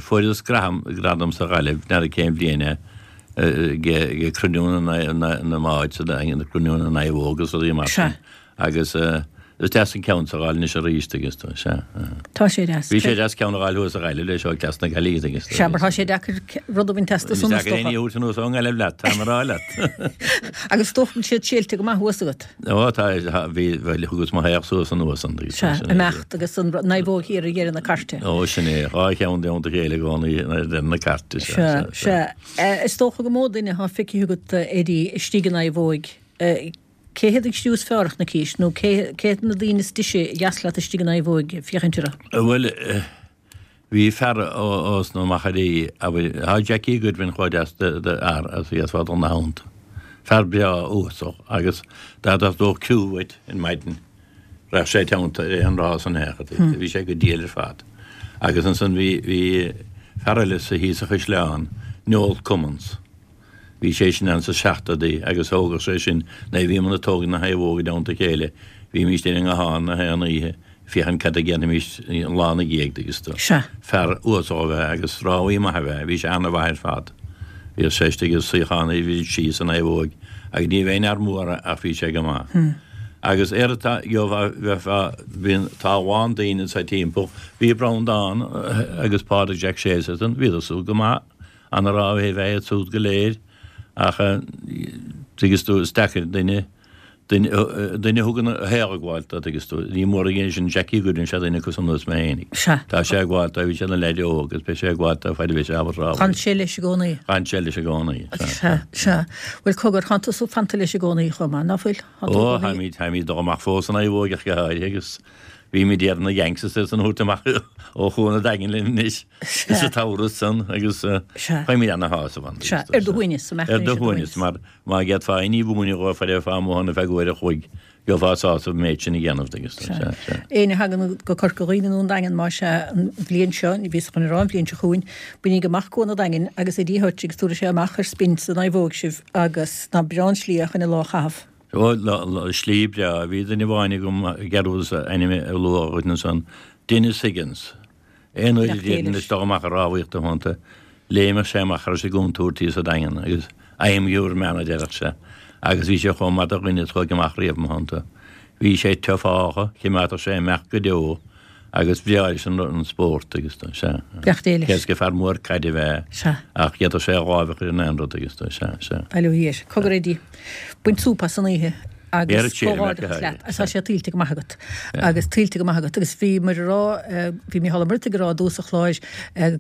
fuaireas gradam, gradam sa Ghaillimh, n'fheadar cén bhliain é, ag cruinniú na mbád sa Daingean, cruinniú na naomhóg agus rudaí mar sin. Agus. Is deas an ceann so a dh'fháil anois arís, tuigeann tú, sea. Tá sé deas. Bhí sé deas ceann a dh'fháil thuas sa Ghaillimh leis ó Cleas na Gaillimhe, tuigeann tú. Sea, mar tá sé deacair rud a bhaint astu san, is dócha. Is deacair éinne a thabhairt anuas ón nGaillimh leat, tá mé a rá leat. Agus is dócha go bhfuil siad séilte go maith thuas agat. Ó, tá, bhí, bhuel, thugas mo thaobh suas anuas an, tuigeann tú. Sea, imeacht agus an naomhóg thiar ar dheireadh na cairte. Ó, sin é, dhá cheann i dteannta a chéile i gcónaí ar dheireadh na cairte, sea, sea. Sea, sea. Is dócha gur mó duine atá feicthe agat, Eddie, istigh i naomhóig. Cé hiad an criú is fearr a chonaicis, nó cé hiad na daoine is deise a dheas leat istigh in naomhóig féachaint orthu? Bhuel, bhí fear ós na Machairí, abair, tá Jackie Goodwin chomh deas d'fhear as a d'fhéadfá dul 'na theannta. Fear breá uasal agus dá dteastódh criú uait ar maidin, raghadh sé i dteannta ar an rás an fhéachadh. Bhí sé go diail ar fad. Agus ansan bhí, bhí fear eile sa thíos sa Chaisleán, Noel Cummins. Bhí sé sin ann sa seachtóidí agus thógadh sé sin, nuair a bhíomar ag tógaint na naomhóga i dteannta a chéile, bhímíst ar an nguthán na haon oíche ag féachaint cad a dhéanfaimíst an lá 'na dhiaidh, dtuigeann tú. Sea. Fear uasal ab ea agus rámhaí maith ab ea, bhí sé ana-mhaith ar fad. Bhíodh sé istigh i suíochán a bhí síos sa naomhóig agus ní bheinn fhear mór ach bhí sé go maith. Agus ar tá, gheofá, bheifeá, bíonn, tá a lán daoine anso timpeall, bhí Breandán agus Pádraig Jack Sheason, bhíodar súd go maith. Ana-rámhaithe ab ea iad súd go léir ach tuigeann tú is deacair duine, duine, duine a thugann a shaol ag gabháil dó, tuigeann tú. Ní mór a dhéanamh sin Jackie Goodwin, sé duine acu san anuas mé fhéinig. Sea. Tá sé ag gabháil dó, bhí sé ina leaid óg agus beidh sé ag gabháil dó faid a bheidh sé ábalta rámhaíocht. Chan sé leis i gcónaí. Chan sé leis i gcónaí, sea. Sea, sea. Bhuel, cogar, tánn tusa fanta leis i gcónaí chomh maith, ná fuil? Ó, táimid, táimid ag dul amach fós san naomhóig ach go háirithe agus bímid ag iarraidh na Yanks is iad san a thabhairt amach ó Chuan an Daingin linn anois. Sa tsamhradh san agus faighimid ana-shásamh ann. Sea, ar do shuaimhneas, an mbeadh Ar do shuaimhneas, mar má d'fhéadfá éinní a mhúineadh dhóibh faid a bheifeá amuigh ann ar feadh uair a chloig, gheofá sásamh an méid sin a dhéanamh agus sea, sea. Éinne a thagann go Corca Dhuibhne nó an Daingean, más ea, an bhliain seo, bhíos chun a rá an bhliain seo chugainn, bainígí amach Cuan an Daingin agus Eddie Hutch agus tabharfaidh sé amach ar spin sa naomhóig sibh agus nach breá an slí é chun an lá a chaitheamh. Ó, slí breá. Bhí duine amháin agam, dhearúdas a ainm a lua dhuit ansan, Denis Higgins. Aon uair a d'iarrfainn dul amach ag rámhaíocht ina theannta, léimeadh sé amach cha raibh sé i gcontúirt thíos sa Daingean agus I'm your man a deireadh sé agus bhí sé chomh maith do dhuine is chuaigh amach riamh i mo theannta. Bhí sé tiufáltha, chimeádfadh sé imeacht go deo agus bhreá leis an spórt agus sea. Beannacht Dé leis. Cé is gur fear mór caide ab ea Sea. ach d'fhéadfadh sé a láimh a chur in aon rud agus sea, sea. Bail ó Dhia air. Cogar Eddie, bain súp as an oíche agus comhghairdeachas leat agus tá sé tuillte go maith agat agus tuillte go maith agat agus bhíomar ag rá, bhí Mícheál Ó Muirthigh ag rá i dtús an chláir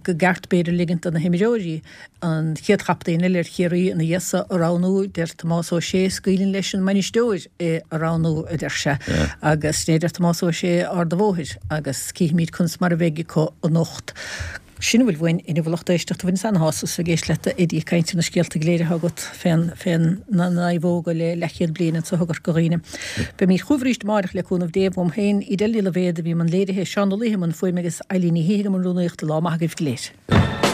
go gceart b'fhéidir ligint do na himreoirí an chéad chaptaen eile ar Chiarraí ina dhiaidh so a roghnú, deir Tomás Ó Sé, scaoileann leis an mbainisteoir é a roghnú, a deir sé, agus sin é a deir Tomás Ó Sé Ard an Bhóthair agus cífimid conas mar a bheidh acu anocht. Sin a bhfuil uainn inniu a lucht éisteachta. Bhaineas ana-shásamh ag éisteacht leat a Eddie ag caint ar na scéalta go léir atá agat fén, fén na naomhóga le leathchéad bliain anso i gCorca Dhuibhne. Beimid chugaibh arís amáireach le cúnamh Dé. Uaim féin, Edel Ní Loibhéad a bhí i mbun léirithe, Seán Ó Laoithe i mbun fuaime agus Eilín Ní Shíthigh i mbun rúnaíochta. Lá maith agaibh go léir.